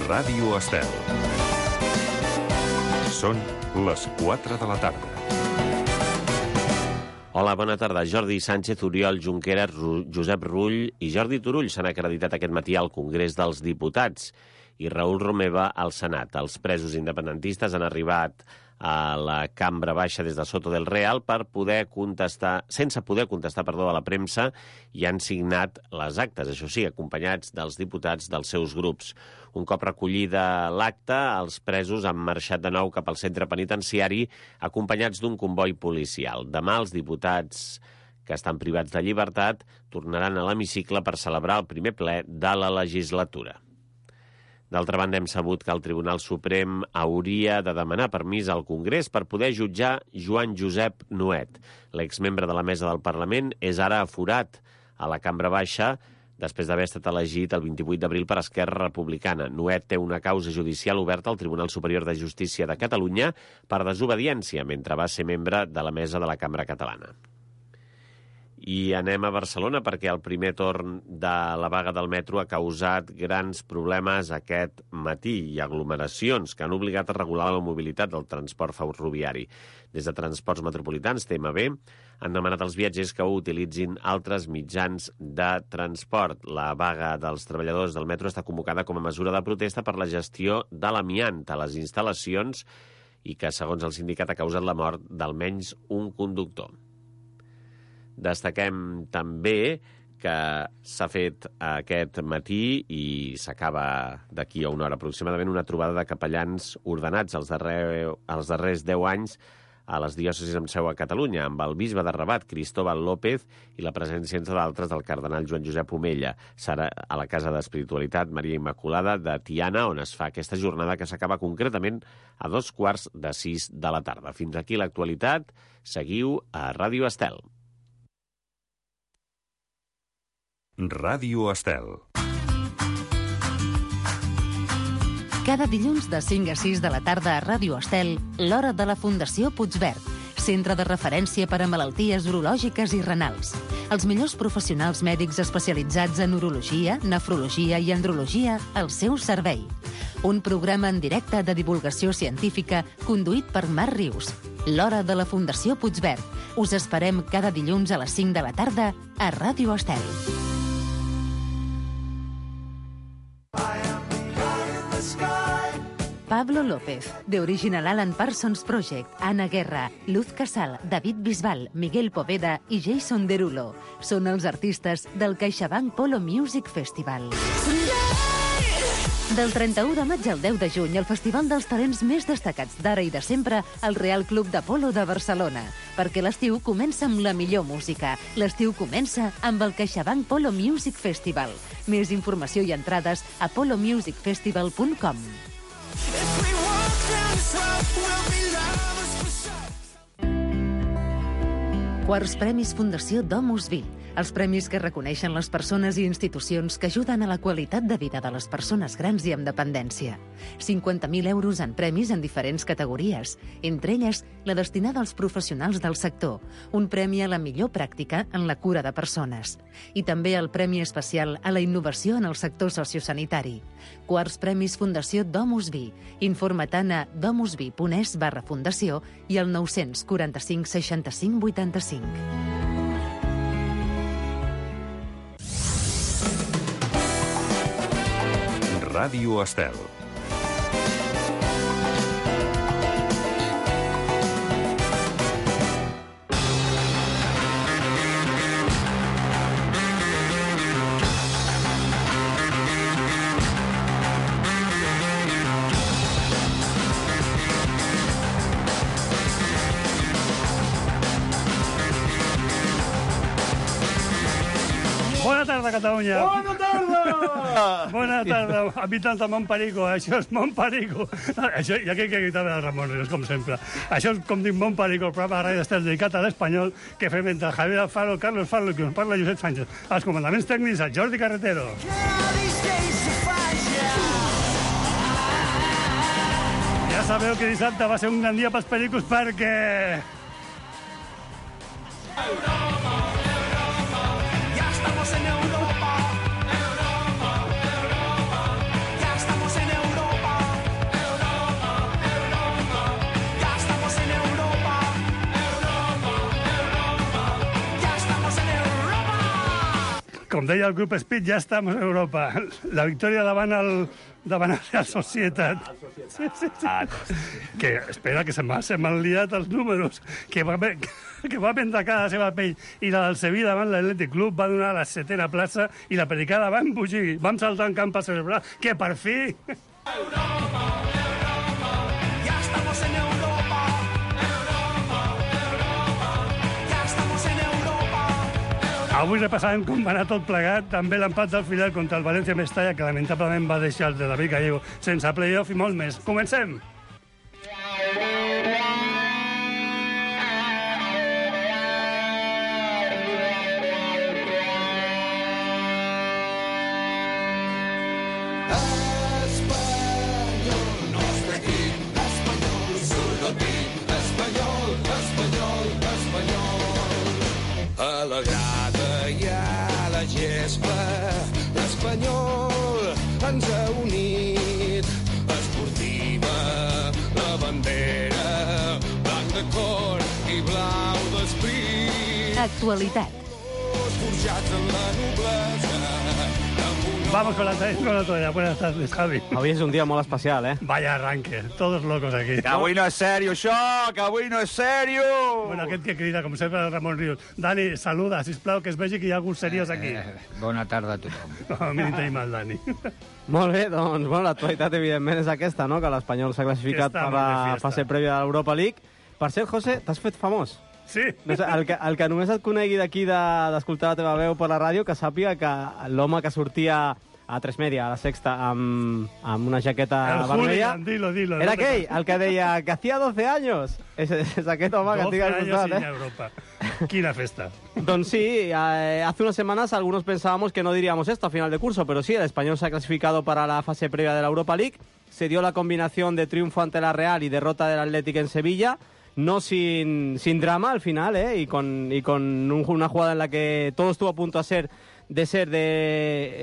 Ràdio Estel. Són les 4 de la tarda. Hola, bona tarda. Jordi Sánchez, Oriol Junqueras, Josep Rull i Jordi Turull s'han acreditat aquest matí al Congrés dels Diputats i Raül Romeva al Senat. Els presos independentistes han arribat a la cambra baixa des de Soto del Real per sense poder contestar a la premsa, i han signat les actes, això sí, acompanyats dels diputats dels seus grups. Un cop recollida l'acte, els presos han marxat de nou cap al centre penitenciari acompanyats d'un comboi policial. Demà els diputats que estan privats de llibertat tornaran a l'hemicicle per celebrar el primer ple de la legislatura. D'altra banda, hem sabut que el Tribunal Suprem hauria de demanar permís al Congrés per poder jutjar Joan Josep Nuet. L'exmembre de la mesa del Parlament és ara aforat a la cambra baixa després d'haver estat elegit el 28 d'abril per Esquerra Republicana. Nuet té una causa judicial oberta al Tribunal Superior de Justícia de Catalunya per desobediència mentre va ser membre de la mesa de la Cambra Catalana. I anem a Barcelona perquè el primer torn de la vaga del metro ha causat grans problemes aquest matí i aglomeracions que han obligat a regular la mobilitat del transport ferroviari. Des de Transports Metropolitans, TMB, han demanat als viatgers que utilitzin altres mitjans de transport. La vaga dels treballadors del metro està convocada com a mesura de protesta per la gestió de l'amiant a les instal·lacions i que, segons el sindicat, ha causat la mort d'almenys un conductor. Destaquem també que s'ha fet aquest matí i s'acaba d'aquí a una hora aproximadament una trobada de capellans ordenats els darrers 10 anys a les diòcesis amb seu a Catalunya, amb el bisbe de Rabat, Cristóbal López, i la presència, entre d'altres, del cardenal Joan Josep Omella. Serà a la Casa d'Espiritualitat Maria Immaculada de Tiana, on es fa aquesta jornada que s'acaba concretament a 5:45 de la tarda. Fins aquí l'actualitat. Seguiu a Ràdio Estel. Ràdio Estel. Cada dilluns de 5 a 6 de la tarda a Ràdio Estel, l'hora de la Fundació Puigverd, centre de referència per a malalties urològiques i renals. Els millors professionals mèdics especialitzats en urologia, nefrologia i andrologia al seu servei. Un programa en directe de divulgació científica conduït per Marc Rius. L'hora de la Fundació Puigverd. Us esperem cada dilluns a les 5 de la tarda a Ràdio Estel. Pablo López, de Original Alan Parsons Project, Ana Guerra, Luz Casal, David Bisbal, Miguel Poveda i Jason Derulo són els artistes del CaixaBank Polo Music Festival. Del 31 de maig al 10 de juny, el festival dels talents més destacats d'ara i de sempre al Real Club de Polo de Barcelona. Perquè l'estiu comença amb la millor música. L'estiu comença amb el CaixaBank Polo Music Festival. Més informació i entrades a polomusicfestival.com. Quarts Premis Fundació Domus Vi. Els premis que reconeixen les persones i institucions que ajuden a la qualitat de vida de les persones grans i amb dependència. 50.000 euros en premis en diferents categories, entre elles la destinada als professionals del sector, un premi a la millor pràctica en la cura de persones. I també el Premi Especial a la Innovació en el sector sociosanitari. Quarts Premis Fundació Domus Vi. Informa-te'n a domusvi.es/fundació i al 945 65 85. Ràdio Estel. Bona tarda, Catalunya. Bona tarda! Bona tarda, habitants de Montperico. Això és Montperico. Això, ja que gritava el Ramon Ríos, com sempre. Això és, com dic, Montperico, el programa de Ràdio Estel dedicat a l'espanyol que fem entre Javier Alfaro, Carlos Falo, que us parla Josep Sánchez. Els comandaments tècnics, el Jordi Carretero. Ja sabeu que dissabte va ser un gran dia pels pericos perquè... deia el grup Speed, ja estem a Europa. La victòria davant el Real Societat. Sí. Que espera, que se m'han liat els números, que va vendre cada la seva pell, i la del Sevilla davant l'Atlètic Club va donar la 7ª plaça i la Pericada va embogir. Vam saltar en camp a celebrar que per fi... Avui repassàvem com va anar tot plegat, també l'empat del Fidel contra el València Mestalla, que lamentablement va deixar el de David Gallego sense playoff i molt més. Comencem! L'Espanyol ens ha unit, esportiva, la bandera, blanc de cor i blau d'esprit. Actualitat. Forjats en la noblesa. Vamos con la toalla. Buenas tardes, Javi. Avui és un dia molt especial, eh? Vaya arranque, todos locos aquí. Que avui no és sèrio, això! Que avui no és sèrio! Bueno, aquest que crida, com sempre, el Ramon Ríos. Dani, saluda, sisplau, que es vegi que hi ha algú seriós aquí. Bona tarda a tothom. No, a mi ni tenim el Dani. Molt bé, doncs, bueno, l'actualitat evidentment és aquesta, no?, que l'Espanyol s'ha classificat per la fase prèvia de l'Europa League. Per cert, José, t'has fet famós. Sí. No sé, el que només et conegui d'aquí d'escoltar la teva veu per la ràdio, que sàpiga que l'home que sortia a 3 Media, a la Sexta, amb una jaqueta vermella... Dilo. Era aquell, el que deia que hacía 12 años. És aquest home que tinc al costat, 12 años en Europa. Quina festa. Doncs sí, hace unas semanas algunos pensábamos que no diríamos esto a final de curso, pero sí, el Español se ha clasificado para la fase previa de la Europa League. Se dio la combinación de triunfo ante la Real y derrota del Atlético en Sevilla. No sin drama al final, y con una jugada en la que todo estuvo a punto de ser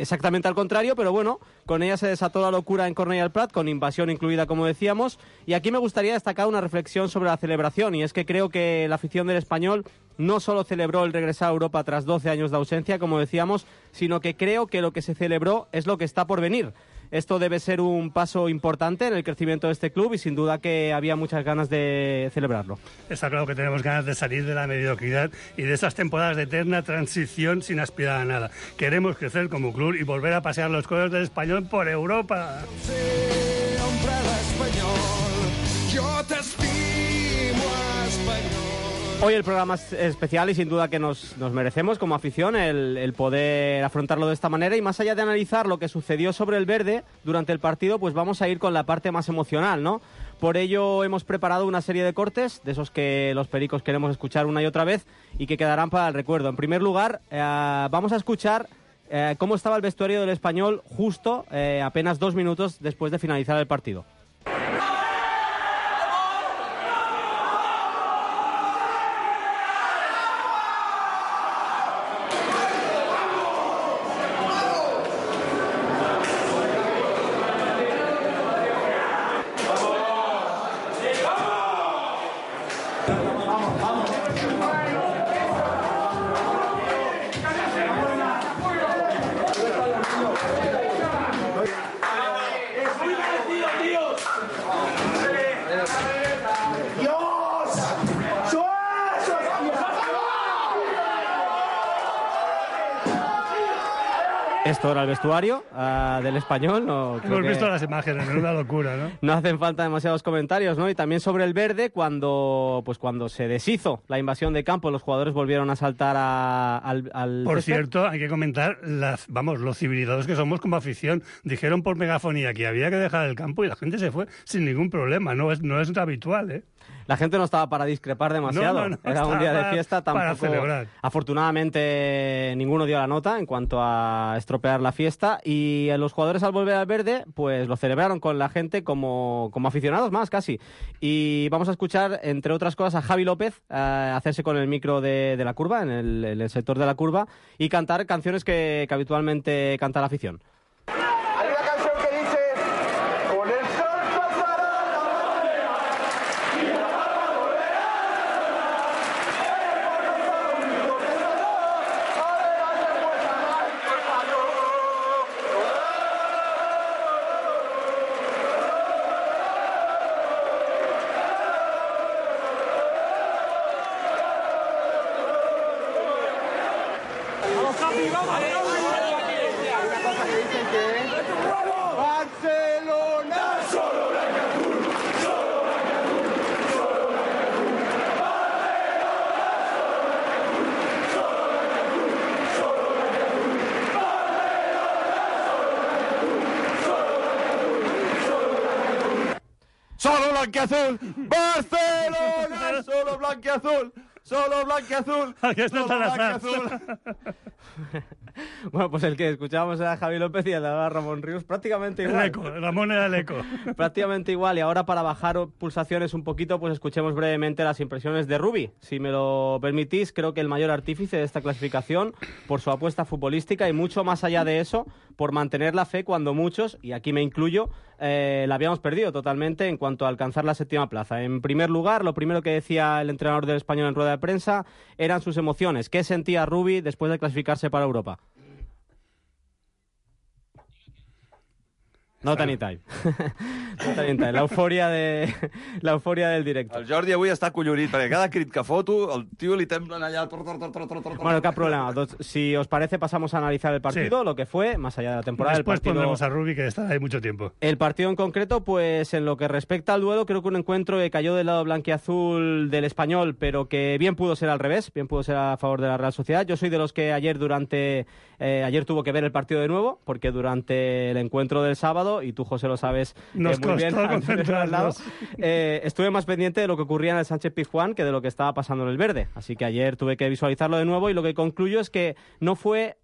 exactamente al contrario, pero bueno, con ella se desató la locura en Cornellà al Prat, con invasión incluida, como decíamos. Y aquí me gustaría destacar una reflexión sobre la celebración, y es que creo que la afición del Español no solo celebró el regresar a Europa tras 12 años de ausencia, como decíamos, sino que creo que lo que se celebró es lo que está por venir. Esto debe ser un paso importante en el crecimiento de este club y sin duda que había muchas ganas de celebrarlo. Está claro que tenemos ganas de salir de la mediocridad y de esas temporadas de eterna transición sin aspirar a nada. Queremos crecer como club y volver a pasear los colores del Español por Europa. Siempre l'Espanyol, yo te estimo, Espanyol. Hoy el programa es especial y sin duda que nos merecemos como afición el poder afrontarlo de esta manera, y más allá de analizar lo que sucedió sobre el verde durante el partido, pues vamos a ir con la parte más emocional, ¿no? Por ello hemos preparado una serie de cortes, de esos que los pericos queremos escuchar una y otra vez y que quedarán para el recuerdo. En primer lugar, vamos a escuchar cómo estaba el vestuario del Español justo apenas 2 minutos después de finalizar el partido. Esto era el vestuario del Español. No, hemos visto las imágenes, es una locura, ¿no? No hacen falta demasiados comentarios, ¿no? Y también sobre el verde, cuando se deshizo la invasión de campo, los jugadores volvieron a saltar al Por césped. cierto, hay que comentar los civilizados que somos como afición. Dijeron por megafonía que había que dejar el campo y la gente se fue sin ningún problema. No es habitual, ¿eh? La gente no estaba para discrepar demasiado. No, era un día de fiesta, tampoco. Para celebrar. Afortunadamente, ninguno dio la nota en cuanto a estropear la fiesta, y los jugadores, al volver al verde, pues lo celebraron con la gente como aficionados más, casi. Y vamos a escuchar, entre otras cosas, a Javi López hacerse con el micro de la curva, en el sector de la curva, y cantar canciones que habitualmente canta la afición. Hay una canción que dice: con el sol pasará la solo blanquiazul, Barcelona, solo blanquiazul, solo blanquiazul, Aquesta solo te la saps. blanquiazul. Bueno, pues el que escuchábamos era Javi López y el de ahora Ramón Ríos, prácticamente igual. El eco, Ramón era el eco. Prácticamente igual, y ahora para bajar pulsaciones un poquito, pues escuchemos brevemente las impresiones de Rubi. Si me lo permitís, creo que el mayor artífice de esta clasificación por su apuesta futbolística y mucho más allá de eso, por mantener la fe cuando muchos, y aquí me incluyo, la habíamos perdido totalmente en cuanto a alcanzar la 7ª plaza. En primer lugar, lo primero que decía el entrenador del Español en rueda de prensa eran sus emociones. ¿Qué sentía Rubi después de clasificarse para Europa? No anytime. Not anytime. L'eufòria del directe. El Jordi avui està collonit, perquè cada crit que foto, el tio li temblen allà... Bueno, cap problema. Si os parece, pasamos a analizar el partido, Sí. lo que fue, más allá de la temporada. Después el partido... pondremos a Rubi, que está ahí mucho tiempo. El partido en concreto, pues en lo que respecta al duelo, creo que un encuentro que cayó del lado blanquiazul del Español, pero que bien pudo ser al revés, bien pudo ser a favor de la Real Sociedad. Yo soy de los que ayer tuvo que ver el partido de nuevo, porque durante el encuentro del sábado, y tú, José, lo sabes Nos muy bien, costó al tenerlo al lado, concentrarnos. estuve más pendiente de lo que ocurría en el Sánchez-Pizjuán que de lo que estaba pasando en el Verde. Así que ayer tuve que visualizarlo de nuevo y lo que concluyo es que no fue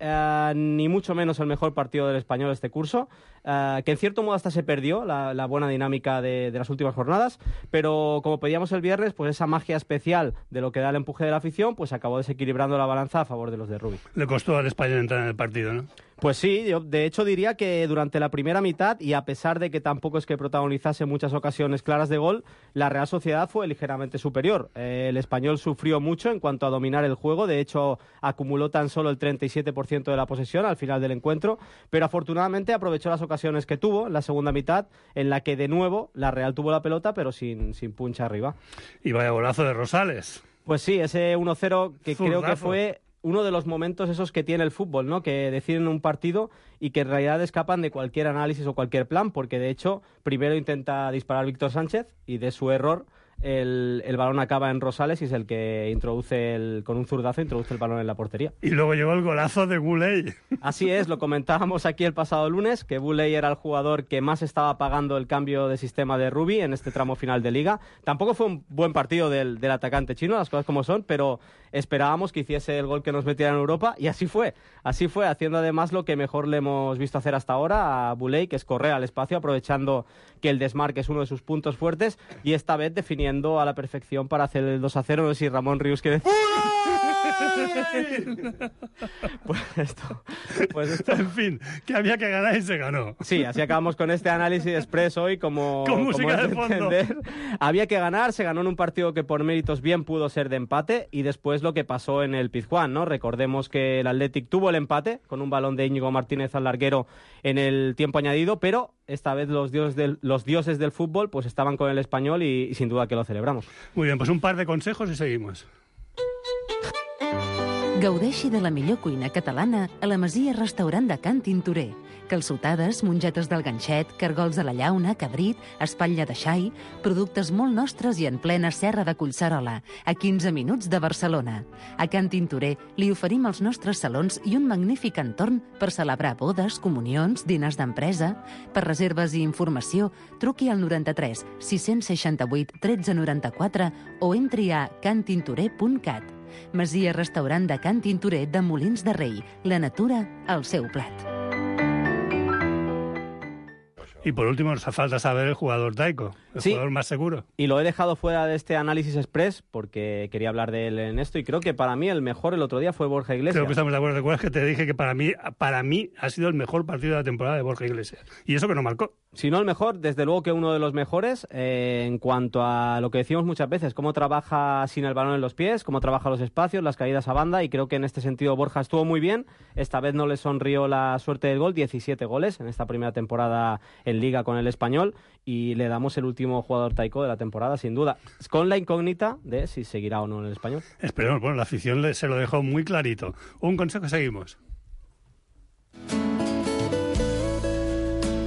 ni mucho menos el mejor partido del Español este curso, que en cierto modo hasta se perdió la buena dinámica de las últimas jornadas, pero como pedíamos el viernes, pues esa magia especial de lo que da el empuje de la afición, pues acabó desequilibrando la balanza a favor de los de Rubi. Le costó al Español entrar en el partido, ¿no? Pues sí, yo de hecho diría que durante la primera mitad, y a pesar de que tampoco es que protagonizase muchas ocasiones claras de gol, la Real Sociedad fue ligeramente superior. El Español sufrió mucho en cuanto a dominar el juego, de hecho acumuló tan solo el 37% de la posesión al final del encuentro, pero afortunadamente aprovechó las ocasiones que tuvo en la segunda mitad, en la que de nuevo la Real tuvo la pelota, pero sin puncha arriba. Y vaya golazo de Rosales. Pues sí, ese 1-0 que creo que Zurdazo. fue uno de los momentos esos que tiene el fútbol, ¿no? Que deciden un partido y que en realidad escapan de cualquier análisis o cualquier plan, porque de hecho primero intenta disparar Víctor Sánchez y de su error el balón acaba en Rosales y es el que introduce con un zurdazo introduce el balón en la portería. Y luego llegó el golazo de Guley. Así es, lo comentábamos aquí el pasado lunes, que Buley era el jugador que más estaba pagando el cambio de sistema de Rubi en este tramo final de Liga. Tampoco fue un buen partido del atacante chino, las cosas como son, pero esperábamos que hiciese el gol que nos metiera en Europa y así fue, haciendo además lo que mejor le hemos visto hacer hasta ahora a Buley, que es correr al espacio, aprovechando que el desmarque es uno de sus puntos fuertes y esta vez definiendo a la perfección para hacer el 2-0. No sé si Ramón Ríos quiere decir... Pues esto... En fin, que había que ganar y se ganó. Sí, así acabamos con este análisis express hoy, como música es de fondo. entender. Había que ganar, se ganó en un partido que por méritos bien pudo ser de empate y después lo que pasó en el Pizjuán, ¿no? Recordemos que el Athletic tuvo el empate con un balón de Íñigo Martínez al larguero en el tiempo añadido, pero esta vez los dioses del fútbol pues estaban con el Español y sin duda que lo celebramos. Muy bien, pues un par de consejos y seguimos. Gaudeixi de la millor cuina catalana a la Masia Restaurant de Can Tintorer. Calçotades, mongetes del ganxet, cargols a la llauna, cabrit, espatlla de xai, productes molt nostres i en plena serra de Collserola, a 15 minuts de Barcelona. A Can Tintorer li oferim els nostres salons i un magnífic entorn per celebrar bodes, comunions, dinars d'empresa. Per reserves i informació, truqui al 93 668 1394 o entri a cantintorer.cat. Masia Restaurant de Can Tintorer de Molins de Rei. La natura al seu plat. Y por último, nos hace falta saber el jugador Taiko, el Sí. jugador más seguro. Y lo he dejado fuera de este análisis express porque quería hablar de él en esto y creo que para mí el mejor el otro día fue Borja Iglesias. Creo que estamos de acuerdo. ¿Recuerdas que te dije que para mí ha sido el mejor partido de la temporada de Borja Iglesias? Y eso que no marcó. Si no el mejor, desde luego que uno de los mejores en cuanto a lo que decimos muchas veces, cómo trabaja sin el balón en los pies, cómo trabaja los espacios, las caídas a banda, y creo que en este sentido Borja estuvo muy bien. Esta vez no le sonrió la suerte del gol, 17 goles en esta primera temporada en Liga con el Español, y le damos el último jugador Taiko de la temporada, sin duda, con la incógnita de si seguirá o no en el Español. Esperemos, bueno, la afición se lo dejó muy clarito. Un consejo, seguimos.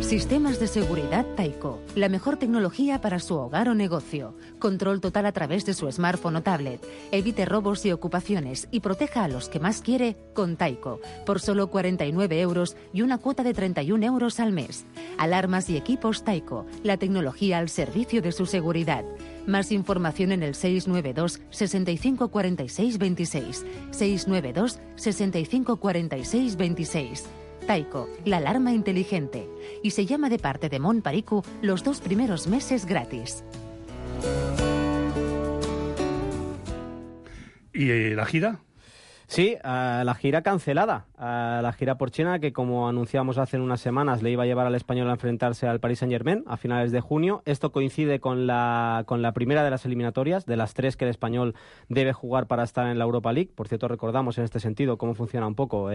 Si Sistemas de seguridad Taiko. La mejor tecnología para su hogar o negocio. Control total a través de su smartphone o tablet. Evite robos y ocupaciones y proteja a los que más quiere con Taiko. Por solo 49 euros y una cuota de 31 euros al mes. Alarmas y equipos Taiko. La tecnología al servicio de su seguridad. Más información en el 692 65 46 26. 692 65 46 26. Taiko, la alarma inteligente. Y se llama de parte de Mon Pariku los 2 primeros meses gratis. ¿Y la gira? Sí, la gira cancelada. La gira por China, que como anunciamos hace unas semanas, le iba a llevar al Español a enfrentarse al Paris Saint-Germain a finales de junio. Esto coincide con la primera de las eliminatorias, de las 3 que el Español debe jugar para estar en la Europa League. Por cierto, recordamos en este sentido cómo funciona un poco.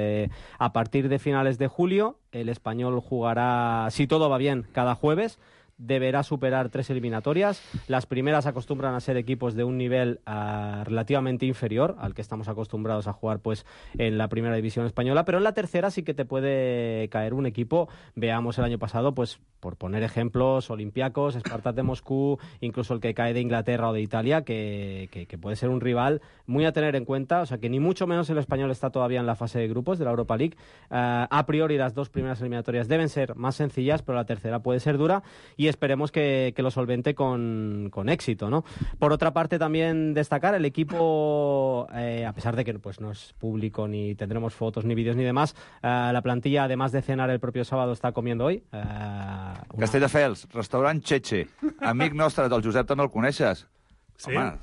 A partir de finales de julio, el Español jugará, si todo va bien, cada jueves. Deberá superar 3 eliminatorias. Las primeras acostumbran a ser equipos de un nivel relativamente inferior al que estamos acostumbrados a jugar pues en la primera división española, pero en la tercera sí que te puede caer un equipo. Veamos el año pasado, pues por poner ejemplos, Olympiacos, Spartak de Moscú, incluso el que cae de Inglaterra o de Italia, que puede ser un rival muy a tener en cuenta. O sea que ni mucho menos el Español está todavía en la fase de grupos de la Europa League. A priori las 2 primeras eliminatorias deben ser más sencillas, pero la tercera puede ser dura y esperemos que lo solvente con éxito, ¿no? Por otra parte, también destacar el equipo, a pesar de que pues no es público ni tendremos fotos ni vídeos ni demás, la plantilla, además de cenar el propio sábado, está comiendo hoy. Castelldefels, restaurant Cheche. Amic nostre, del Josep, també el coneixes? Sí? Home,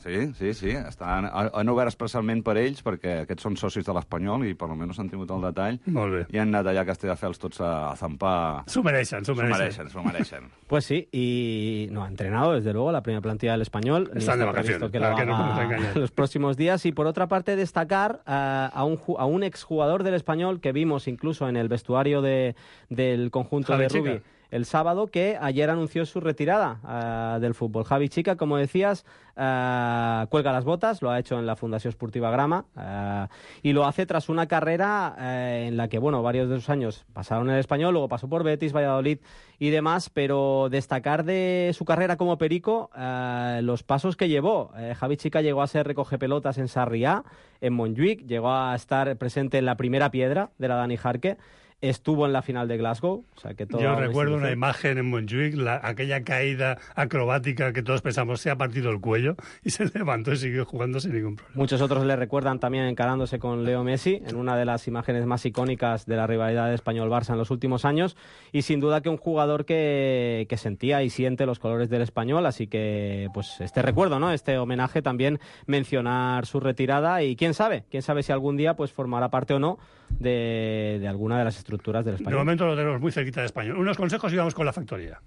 sí. Han obert especialment per ells, perquè aquests són socis de l'Espanyol i per almenys han tingut el detall. Molt bé. I han anat allà a Castelldefels tots a zampar. S'ho mereixen. S'ho mereixen. Pues sí, y no ha entrenado, desde luego, la primera plantilla del Español. Están de vacaciones, que lo haga los próximos días. Y por otra parte, destacar a un exjugador del Español que vimos incluso en el vestuario del conjunto Javi de Rubí Chica. el sábado, que ayer anunció su retirada del fútbol. Javi Chica, como decías, cuelga las botas, lo ha hecho en la Fundació Esportiva Grama, y lo hace tras una carrera en la que, bueno, varios de sus años pasaron en el Español, luego pasó por Betis, Valladolid y demás, pero destacar de su carrera como perico los pasos que llevó. Javi Chica llegó a ser recogepelotas en Sarriá, en Montjuïc, llegó a estar presente en la primera piedra de la Dani Jarque, estuvo en la final de Glasgow. O sea, que yo recuerdo una imagen en Montjuïc, aquella caída acrobática que todos pensamos se ha partido el cuello y se levantó y siguió jugando sin ningún problema. Muchos otros le recuerdan también encarándose con Leo Messi en una de las imágenes más icónicas de la rivalidad de Español-Barça en los últimos años, y sin duda que un jugador que sentía y siente los colores del Español, así que pues este recuerdo, ¿no? Este homenaje, también mencionar su retirada, y quién sabe si algún día pues formará parte o no de alguna de las estructuras del Español. De momento lo tenemos muy cerquita de Español. Unos consejos y vamos con la factoría.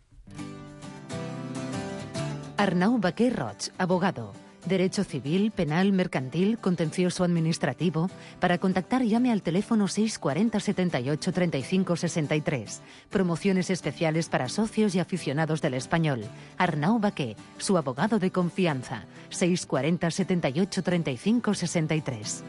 Arnau Baquer Roig, abogado. Derecho civil, penal, mercantil, contencioso administrativo. Para contactar, llame al teléfono 640 78 35 63. Promociones especiales para socios y aficionados del Español. Arnau Baquer, su abogado de confianza. 640 78 35 63.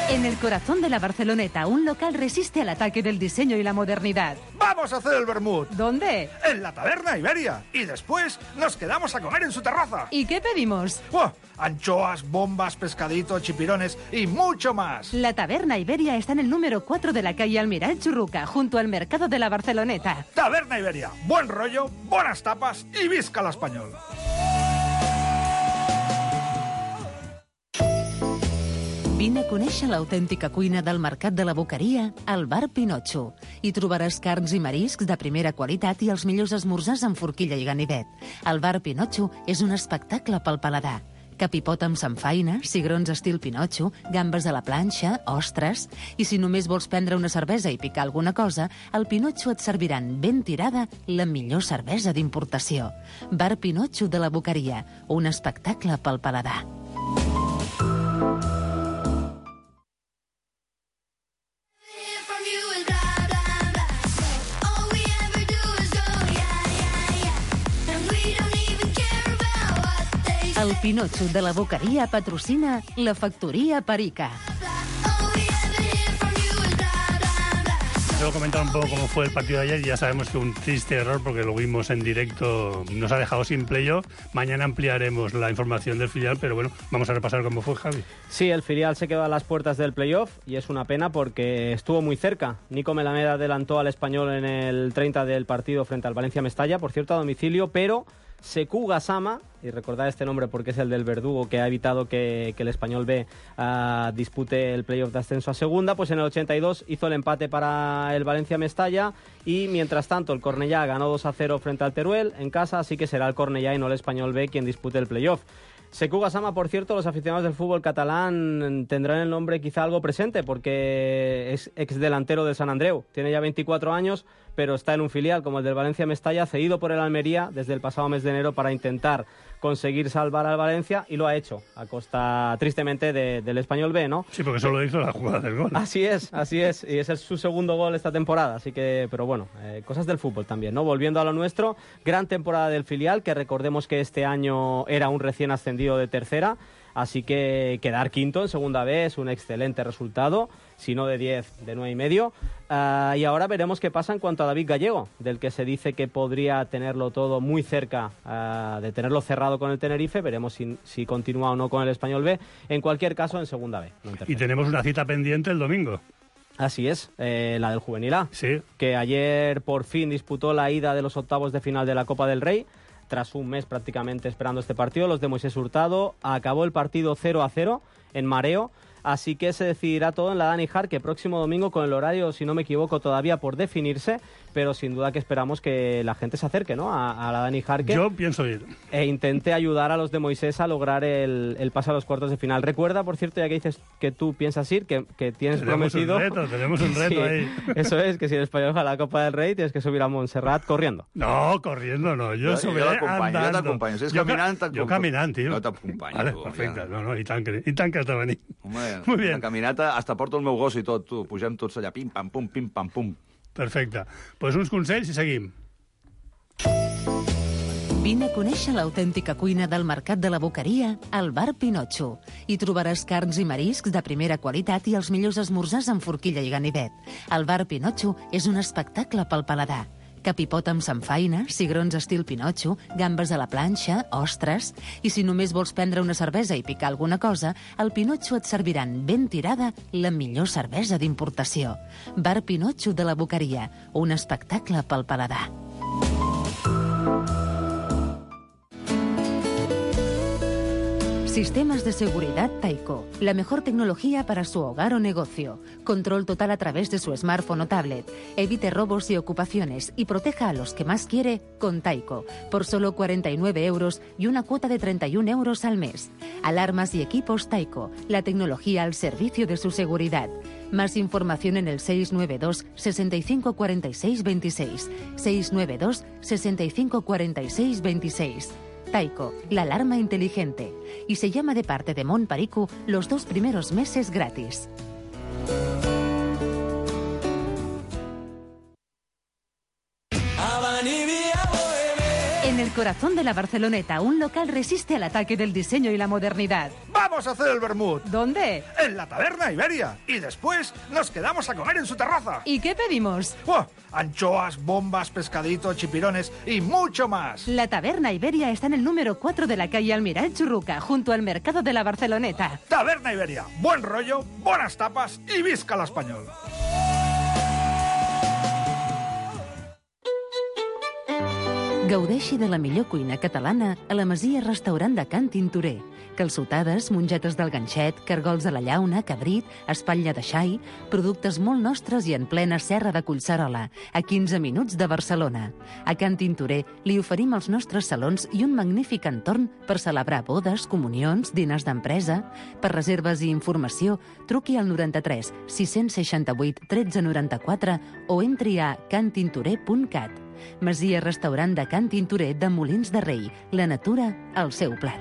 En el corazón de la Barceloneta, un local resiste al ataque del diseño y la modernidad. ¡Vamos a hacer el vermut! ¿Dónde? En la Taberna Iberia. Y después nos quedamos a comer en su terraza. ¿Y qué pedimos? ¡Oh! Anchoas, bombas, pescaditos, chipirones y mucho más. La Taberna Iberia está en el número 4 de la calle Almirall Churruca, junto al mercado de la Barceloneta. Taberna Iberia. Buen rollo, buenas tapas y visca el español. Vine a conèixer l'autèntica cuina del Mercat de la Boqueria al Bar Pinotxo. Hi trobaràs carns i mariscs de primera qualitat i els millors esmorzars amb forquilla i ganivet. El Bar Pinotxo és un espectacle pel paladar. Capipot amb samfaina, cigrons estil Pinotxo, gambes a la planxa, ostres... I si només vols prendre una cervesa i picar alguna cosa, al Pinotxo et serviran ben tirada la millor cervesa d'importació. Bar Pinotxo de la Boqueria, un espectacle pel paladar. El Pinotxo de la Boqueria patrocina la Factoria Perica. solo comentar un poco cómo fue el partido de ayer. Ya sabemos que un triste error, porque lo vimos en directo, nos ha dejado sin playoff. Mañana ampliaremos la información del filial, pero bueno, vamos a repasar cómo fue, Javi. Sí, el filial se quedó a las puertas del playoff y es una pena porque estuvo muy cerca. Nico Melamed adelantó al Español en el 30 del partido frente al Valencia Mestalla, por cierto a domicilio, pero Sekou Gassama, y recordad este nombre porque es el del verdugo que ha evitado que el Español B dispute el playoff de ascenso a segunda, pues en el 82 hizo el empate para el Valencia Mestalla y mientras tanto el Cornellá ganó 2-0 frente al Teruel en casa, así que será el Cornellá y no el Español B quien dispute el playoff. Sekou Gassama, por cierto, los aficionados del fútbol catalán tendrán el nombre quizá algo presente porque es exdelantero del Sant Andreu. Tiene ya 24 años, pero está en un filial como el del Valencia Mestalla, cedido por el Almería desde el pasado mes de enero para intentar conseguir salvar al Valencia y lo ha hecho, a costa, tristemente, del Español B, ¿no? Sí, porque solo hizo la jugada del gol. Así es, y ese es su segundo gol esta temporada, así que, pero bueno, cosas del fútbol también, ¿no? Volviendo a lo nuestro, gran temporada del filial, que recordemos que este año era un recién ascendido de tercera, así que quedar quinto en segunda B es un excelente resultado, si no de 10, de 9,5. Y ahora veremos qué pasa en cuanto a David Gallego, del que se dice que podría tenerlo todo muy cerca de tenerlo cerrado con el Tenerife. Veremos si continúa o no con el Español B. En cualquier caso, en segunda B. No en tercera. Y tenemos una cita pendiente el domingo. Así es, la del Juvenil A, sí, que ayer por fin disputó la ida de los octavos de final de la Copa del Rey. Tras un mes prácticamente esperando este partido, los de Moisés Hurtado, acabó el partido 0-0 en mareo. Así que se decidirá todo en la Dani Jarque próximo domingo, con el horario, si no me equivoco, todavía por definirse, pero sin duda que esperamos que la gente se acerque, ¿no?, a la Dani Jarque. Yo pienso ir. E intente ayudar a los de Moisés a lograr el pase a los cuartos de final. Recuerda, por cierto, ya que dices que tú piensas ir, que tienes prometido... Tenemos un reto sí, ahí. Eso es, que si el Español gana la Copa del Rey tienes que subir a Montserrat corriendo. No, corriendo no, yo subiré andando. Jo t'acompanyo, si és caminant... Jo caminant, tio. Jo t'acompanyo. Vale, tu, perfecte, ja. no, i tant que has de venir. Home, Muy bien. una caminata, hasta porto el meu gos i tot, tu. Pugem tots allà, pim, pam, pum. Perfecte. Pues uns consells i seguim. Vine a conèixer l'autèntica cuina del Mercat de la Boqueria al Bar Pinotxo. Hi trobaràs carns i mariscs de primera qualitat i els millors esmorzars amb forquilla i ganivet. El Bar Pinotxo és un espectacle pel paladar. Capipot amb samfaina, cigrons estil Pinotxo, gambes a la planxa, ostres... I si només vols prendre una cervesa i picar alguna cosa, al Pinotxo et serviran ben tirada la millor cervesa d'importació. Bar Pinotxo de la Boqueria, un espectacle pel paladar. Sistemas de seguridad Taiko. La mejor tecnología para su hogar o negocio. Control total a través de su smartphone o tablet. Evite robos y ocupaciones y proteja a los que más quiere con Taiko. Por solo 49 euros y una cuota de 31 euros al mes. Alarmas y equipos Taiko. La tecnología al servicio de su seguridad. Más información en el 692 65 46 26. 692 65 46 26. Taiko, la alarma inteligente. Y se llama de parte de Montparicu los 2 primeros meses gratis. En el corazón de la Barceloneta, un local resiste al ataque del diseño y la modernidad. ¡Vamos a hacer el vermut! ¿Dónde? En la Taberna Iberia. Y después nos quedamos a comer en su terraza. ¿Y qué pedimos? ¡Buah! Anchoas, bombas, pescadito, chipirones y mucho más. La Taberna Iberia está en el número 4 de la calle Almirall Churruca, junto al mercado de la Barceloneta. Taberna Iberia. Buen rollo, buenas tapas y visca la español. Gaudeixi de la millor cuina catalana a la Masia Restaurant de Can Tintorer. Calçotades, mongetes del ganxet, cargols a la llauna, cabrit, espatlla de xai, productes molt nostres i en plena serra de Collserola, a 15 minuts de Barcelona. A Can Tintorer li oferim els nostres salons i un magnífic entorn per celebrar bodes, comunions, diners d'empresa. Per reserves i informació, truqui al 93 668 1394 o entri a cantintorer.cat. Masia Restaurant de Can Tintorer de Molins de Rei. La natura al seu plat.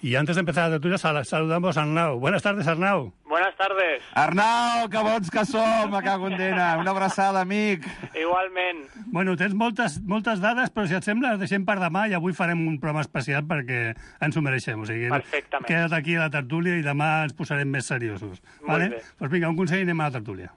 Y antes de empezar la tertulia, saludamos a Arnau. Buenas tardes, Arnau. Buenas buenas tardes. Arnau, que bons que som, me cago en dena. Una abraçada, amic. Igualment. Bueno, tens moltes dades, però si et sembla, les deixem per demà i avui farem un programa especial perquè ens ho mereixem. O sigui, perfectament. Queda't aquí a la tertúlia i demà ens posarem més seriosos. Vale? Doncs vinga, un consell i anem a la tertúlia.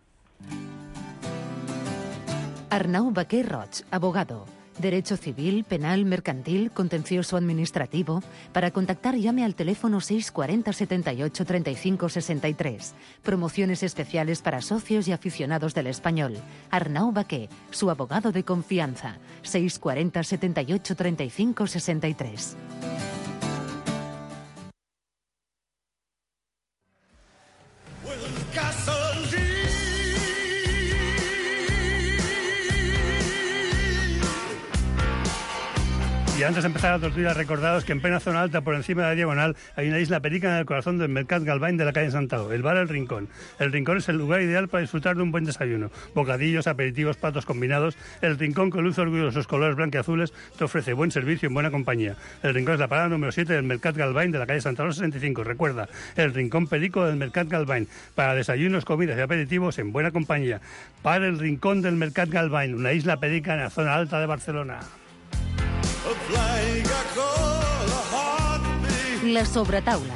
Arnau Baquer Roig, abogado. Derecho civil, penal, mercantil, contencioso administrativo. Para contactar llame al teléfono 640 78 35 63. Promociones especiales para socios y aficionados del español. Arnau Baquer, su abogado de confianza. 640 78 35 63. Y antes de empezar la tortilla, recordados que en plena zona alta, por encima de la diagonal, hay una isla perica en el corazón del Mercat Galvany de la calle Santao, el bar El Rincón. El Rincón es el lugar ideal para disfrutar de un buen desayuno. Bocadillos, aperitivos, platos combinados. El Rincón, con luce orgullo de sus colores blanqueazules, te ofrece buen servicio y buena compañía. El Rincón es la parada número 7 del Mercat Galvany de la calle Santao 65. Recuerda, el Rincón perico del Mercat Galvany, para desayunos, comidas y aperitivos en buena compañía. Para el Rincón del Mercat Galvany, una isla perica en la zona alta de Barcelona. La sobretaula.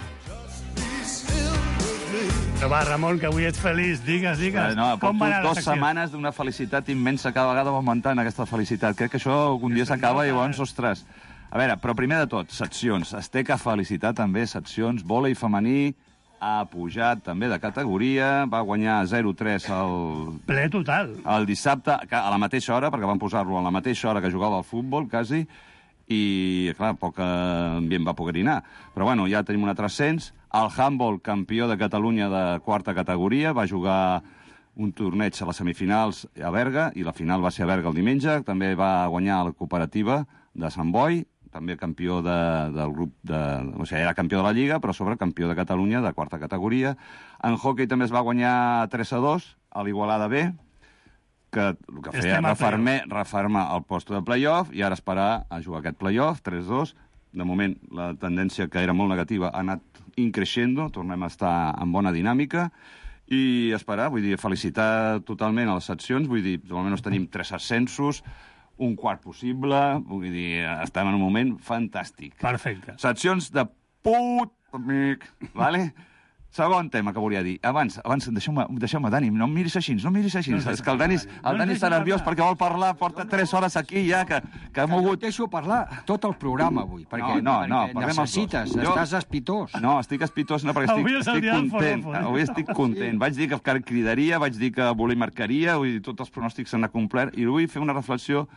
Però va, Ramon, que avui ets feliç. Digues. No, com va anar la 2 secció? setmanes d'una felicitat immensa, cada vegada va augmentant aquesta felicitat. Crec que això algun dia s'acaba i llavors, ostres. A veure, però primer de tot, seccions. Es té que felicitar també seccions. Vòlei femení ha pujat també de categoria, va guanyar 0-3 ple total. El dissabte, a la mateixa hora, perquè van posar-lo a la mateixa hora que jugava al futbol, quasi, i, clar, poc ambient va poder anar. Però, bueno, ja tenim un altre ascens. El handball, campió de Catalunya de quarta categoria, va jugar un torneig a les semifinals a Berga, i la final va ser a Berga el diumenge. També va guanyar la cooperativa de Sant Boi, també campió del grup o sigui, era campió de la Lliga, però sobre campió de Catalunya de quarta categoria. En hockey també es va guanyar 3-2 a l'Igualada B, que el que feia refermar el post de play-off i ara esperar a jugar aquest play-off, 3-2. De moment, la tendència, que era molt negativa, ha anat increixendo, tornem a estar en bona dinàmica, i esperar, vull dir, felicitar totalment a les seccions, vull dir, almenys tenim 3 ascensos, un quart possible, vull dir, estem en un moment fantàstic. Perfecte. Seccions de put, amic, vale? Segon tema que volia dir. Abans, deixeu-me, Dani, no em miris així, És que el Dani està nerviós perquè vol parlar, porta 3 hores aquí ja, que ha mogut... Deixo parlar tot el programa avui, perquè necessites, estàs espitós. No, estic espitós, no, perquè estic content. Avui estic content. Vaig dir que cridaria, vaig dir que voler marcaria, vull dir, tots els pronòstics s'han acomplert, i vull fer una reflexió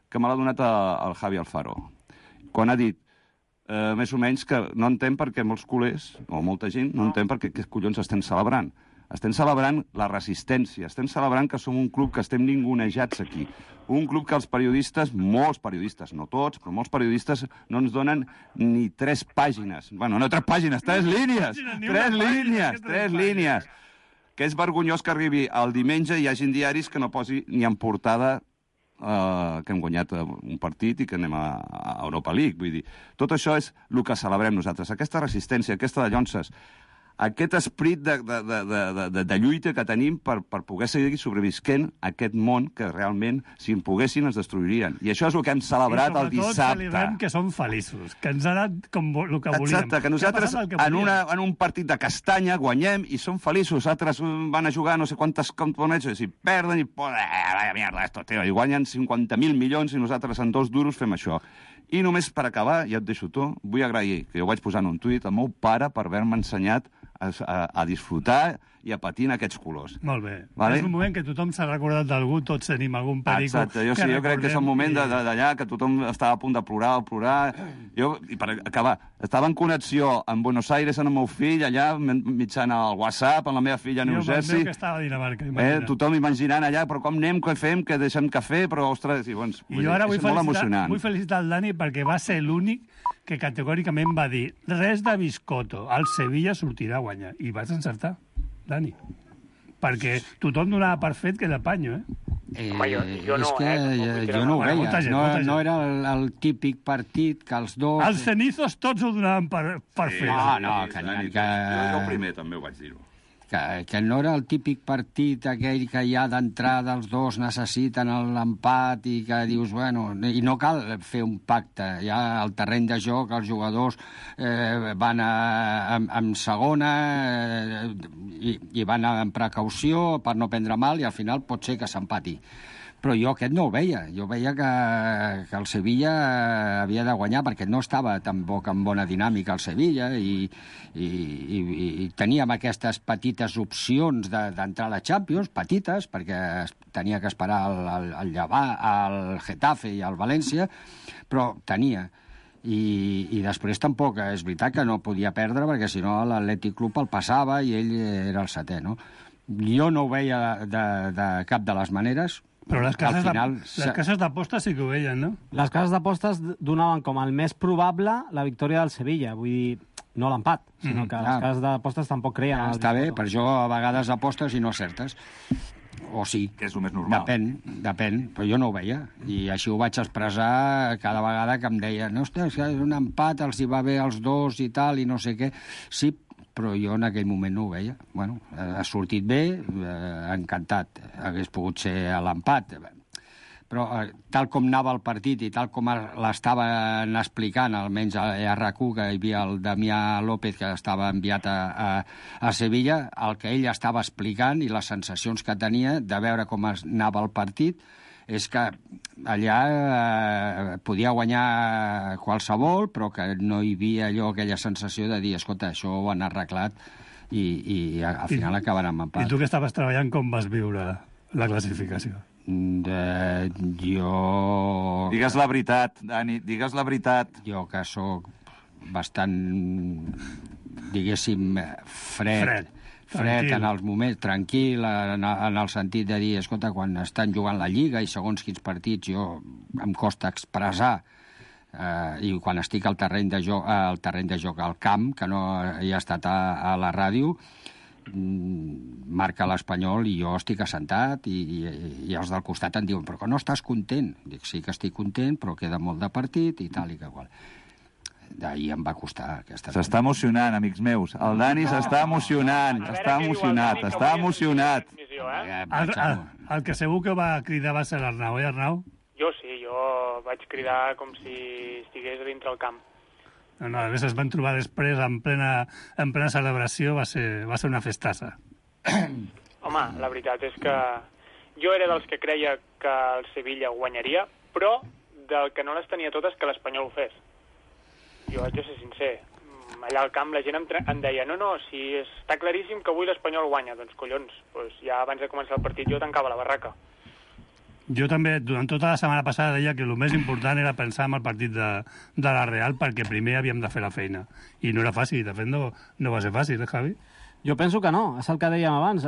que me l'ha donat el Javi Alfaro, quan ha dit més o menys que no entén perquè molts culers, o molta gent, no entén perquè què collons estem celebrant. Estem celebrant la resistència, estem celebrant que som un club que estem ningunejats aquí. Un club que els periodistes, molts periodistes, no tots, però molts periodistes no ens donen ni 3 pàgines. Bueno, no 3 pàgines, 3 línies! 3 línies! Que és vergonyós que arribi el diumenge i hi hagin diaris que no posi ni en portada que hem guanyat un partit i que anem a Europa League. Vull dir, tot això és el que celebrem nosaltres. Aquesta resistència, aquesta de llonces, aquest esperit de lluita que tenim per poder seguir sobrevisquent aquest món que realment, si en poguessin, ens destruirien. I això és el que hem celebrat el dissabte. I sobretot celebrem que som feliços, que ens ha anat com el que volíem. Exacte, que nosaltres en un partit de castanya guanyem i som feliços. Altres van a jugar no sé quantes campeonats i perden i mierda, esto, tío, i guanyen 50.000 milions i nosaltres en 2 duros fem això. I només per acabar, ja et deixo tu, vull agrair, que jo vaig posar en un tuit, al meu pare per haver-me ensenyat a disfrutar i a patir en aquests colors. Molt bé. Vale? És un moment que tothom s'ha recordat d'algú, tots tenim algun perico. Exacte, jo crec que és un moment d'allà que tothom estava a punt de plorar. Jo, i per acabar, estava en connexió amb Buenos Aires amb el meu fill, allà mitjant el WhatsApp, amb la meva filla a New Jersey. Jo que estava a Dinamarca. Tothom imaginant allà, però com anem, què fem, què deixem cafè, però, ostres, i jo ara vull felicitar el Dani perquè va ser l'únic que categòricament va dir res de Biscotto, el Sevilla sortirà a guanyar. I vas encertar, Dani. Perquè tothom donava per fet que era panyo, jo no ho veia. No era el típic partit que els dos... Els cenizos tots ho donaven per fet. Jo primer també ho vaig dir-ho. que no era el típic partit aquell que ja d'entrada els dos necessiten l'empat i que dius, bueno, i no cal fer un pacte. Ja al terreny de joc els jugadors van en segona i van amb precaució per no prendre mal i al final pot ser que s'empati. Però jo aquest no ho veia. Jo veia que el Sevilla havia de guanyar perquè no estava tampoc en bona dinàmica el Sevilla i teníem aquestes petites opcions d'entrar a la Champions, petites, perquè tenia que esperar el Getafe i el València, però tenia. I després tampoc és veritat que no podia perdre perquè si no l'Atlètic Club el passava i ell era el setè, no? Jo no ho veia de cap de les maneres. Però les cases d'apostes sí que ho veien, no? Les cases d'apostes donaven com el més probable la victòria del Sevilla. Vull dir, no l'empat, sinó que les cases d'apostes tampoc creien. Està bé, per això a vegades apostes i no certes. O sí. Que és el més normal. Depèn, però jo no ho veia. I així ho vaig expressar cada vegada que em deien ostres, és un empat, els hi va bé als dos i tal, i no sé què. Sí, però jo en aquell moment no ho veia. Bueno, ha sortit bé, encantat. Hagués pogut ser a l'empat. Però tal com anava el partit i tal com l'estaven explicant, almenys a RQ, que hi havia el Damià López, que estava enviat a Sevilla, el que ell estava explicant i les sensacions que tenia de veure com anava el partit, és que allà podia guanyar qualsevol, però que no hi havia aquella sensació de dir, escolta, això ho han arreglat i al final acaben amb empat. I tu que estaves treballant, com vas viure la classificació? Jo... Digues la veritat, Dani, digues la veritat. Jo que sóc bastant, diguéssim, fred en els moments, tranquil, en el sentit de dir, escolta, quan estan jugant la Lliga i segons quins partits jo em costa expressar i quan estic al terreny de joc al camp, que no he estat a la ràdio, marca l'Espanyol i jo estic assentat i els del costat em diuen, però que no estàs content? Dic, sí que estic content, però queda molt de partit i tal i que qual. D'ahir em va costar aquesta... S'està emocionant, amics meus. El Dani s'està emocionant. Està emocionat. El que segur que va cridar va ser l'Arnau, Arnau? Jo sí, jo vaig cridar com si estigués dintre el camp. No, a més es van trobar després en plena celebració, va ser una festassa. Home, la veritat és que jo era dels que creia que el Sevilla guanyaria, però del que no les tenia totes que l'Espanyol ho fes. Jo haig de ser sincer. Allà al camp la gent em deia no, si està claríssim que avui l'Espanyol guanya. Doncs collons, ja abans de començar el partit jo tancava la barraca. Jo també, durant tota la setmana passada, deia que el més important era pensar en el partit de la Real perquè primer havíem de fer la feina. I no era fàcil, de fet no va ser fàcil, Javi? Jo penso que no, és el que dèiem abans.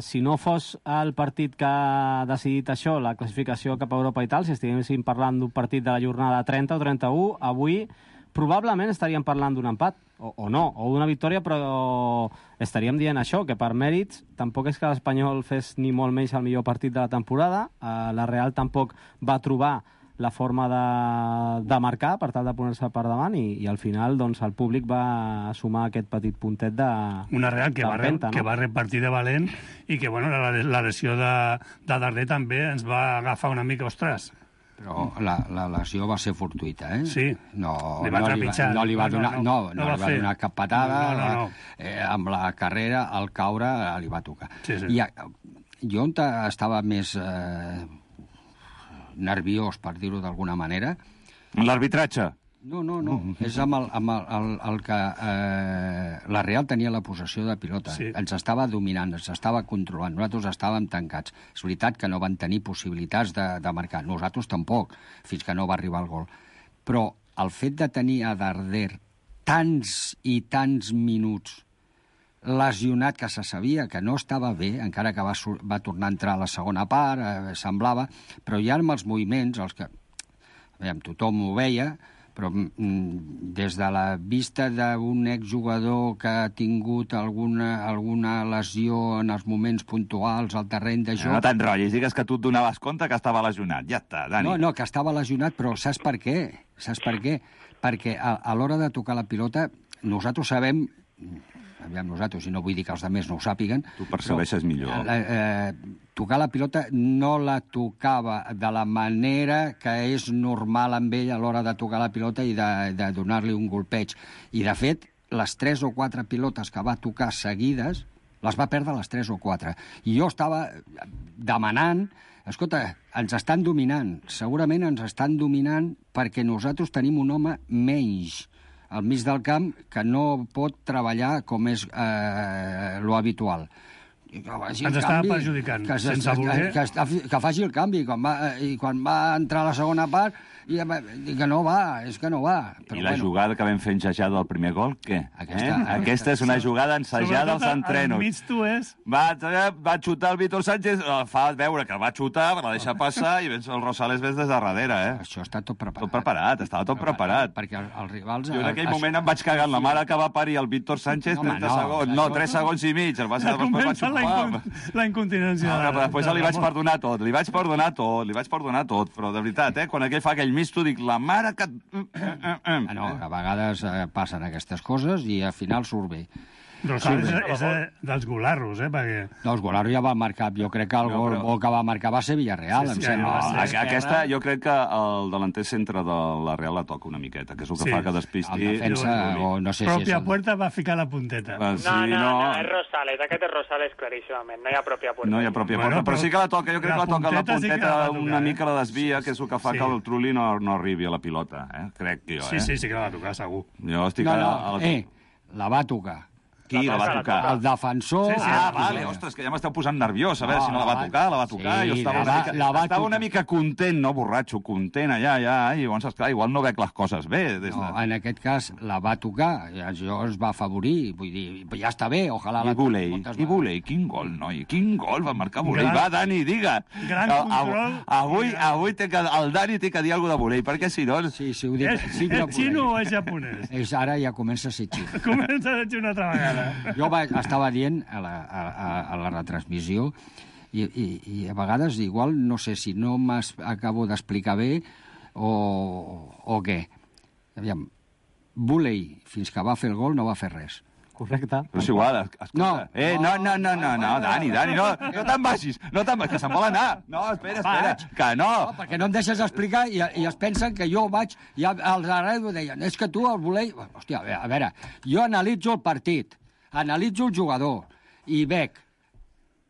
Si no fos el partit que ha decidit això, la classificació cap a Europa i tal, si estiguéssim parlant d'un partit de la jornada 30 o 31, avui probablement estaríem parlant d'un empat, o no, o d'una victòria, però estaríem dient això, que per mèrits tampoc és que l'Espanyol fes ni molt menys el millor partit de la temporada, la Real tampoc va trobar la forma de marcar per tal de poner-se per davant i al final doncs, el públic va sumar aquest petit puntet de una Real que va repartir de valent i que bueno, la lesió de darrer també ens va agafar una mica, ostres. Però la lesió va ser fortuïta, eh? Sí. No li va donar cap patada. No. Amb la carrera, al caure, li va tocar. Sí. Jo estava més nerviós, per dir-ho d'alguna manera. L'arbitratge? No. És amb el que la Real tenia la possessió de pilota. Sí. Ens estava dominant, ens estava controlant. Nosaltres estàvem tancats. És veritat que no van tenir possibilitats de marcar. Nosaltres tampoc, fins que no va arribar el gol. Però el fet de tenir a Darder tants i tants minuts lesionat, que se sabia que no estava bé, encara que va tornar a entrar a la segona part, semblava, però ja amb els moviments, tothom ho veia, però des de la vista d'un exjugador que ha tingut alguna lesió en els moments puntuals al terreny de joc... No t'enrotllis, digues que tu et donaves compte que estava lesionat. Ja està, Dani. No, que estava lesionat, però saps per què? Perquè a l'hora de tocar la pilota nosaltres sabem aviam nosaltres, i no vull dir que els altres no ho sàpiguen... Tu percebeixes millor. Tocar la pilota no la tocava de la manera que és normal amb ell a l'hora de tocar la pilota i de donar-li un golpeig. I, de fet, les 3 o 4 pilotes que va tocar seguides les va perdre les 3 o 4. I jo estava demanant... Escolta, ens estan dominant. Segurament ens estan dominant perquè nosaltres tenim un home menys al mig del camp que no pot treballar com és lo habitual. Ens estava perjudicant, sense voler. Que faci el canvi. I quan va entrar a la segona part, que no va, és que no va. Però I la jugada que vam fer enjajada del primer gol, què? Aquesta és una jugada ensajada als entrenos. Al mig tu és... Va xutar el Víctor Sánchez, fa veure que el va xutar, la deixa passar, i el Rosales ves des de darrere, Això està tot preparat. Tot preparat, estava tot preparat. Perquè els rivals... Jo en aquell moment em vaig cagar en la mare que va parir el Víctor Sánchez 30 segons. No, 3 segons i mig. Comença la incontinència. Després li vaig perdonar tot, li vaig perdonar tot, però de veritat, quan aquell fa aquell misto, dic, la mare que... No, a vegades passen aquestes coses i al final surt bé. Rosales és dels golarros, perquè... No, els golarros ja va marcar, jo crec que el gol que va marcar va ser Villarreal, em sembla. Aquesta, jo crec que el delanter centre de la Real la toca una miqueta, que és el que fa que despisti... El defensa, o no sé si és... Pròpia puerta va ficar la punteta. No, és Rosales, aquest és Rosales claríssimament, no hi ha pròpia puerta. No hi ha pròpia puerta, però sí que la toca, jo crec que la toca la punteta una mica la desvia, que és el que fa que el Trulli no arribi a la pilota, crec jo, Sí, que la va tocar, segur. Jo estic... La va tocar. Qui la va tocar? El defensor... Vale, ostres, que ja m'esteu posant nerviós, a veure si no la va tocar, jo estava una mica content, no borratxo, content allà, i llavors, esclar, igual no veig les coses bé. No, en aquest cas la va tocar, això es va afavorir, vull dir, ja està bé, ojalà... I Buley, quin gol, noi, quin gol va marcar Buley. Va, Dani, diga! Gran control. Avui el Dani té que dir alguna cosa de Buley, perquè si no... Sí, ho dic. És xino o és japonès? Ara ja comença a ser xino. Comença a ser una altra vegada. Jo estava dient a la retransmissió i a vegades igual no sé si no m'acabo d'explicar bé o què. Aviam, Buley, fins que va fer el gol, no va fer res. Correcte. Però és igual, escolta. No, Dani, no te'n vagis, que se'n vol anar. No, espera, que no. Perquè no em deixes explicar i es pensen que jo vaig, i als arreu deien, és que tu el Buley... Hòstia, a veure, jo analitzo el partit, analitzo el jugador i veig,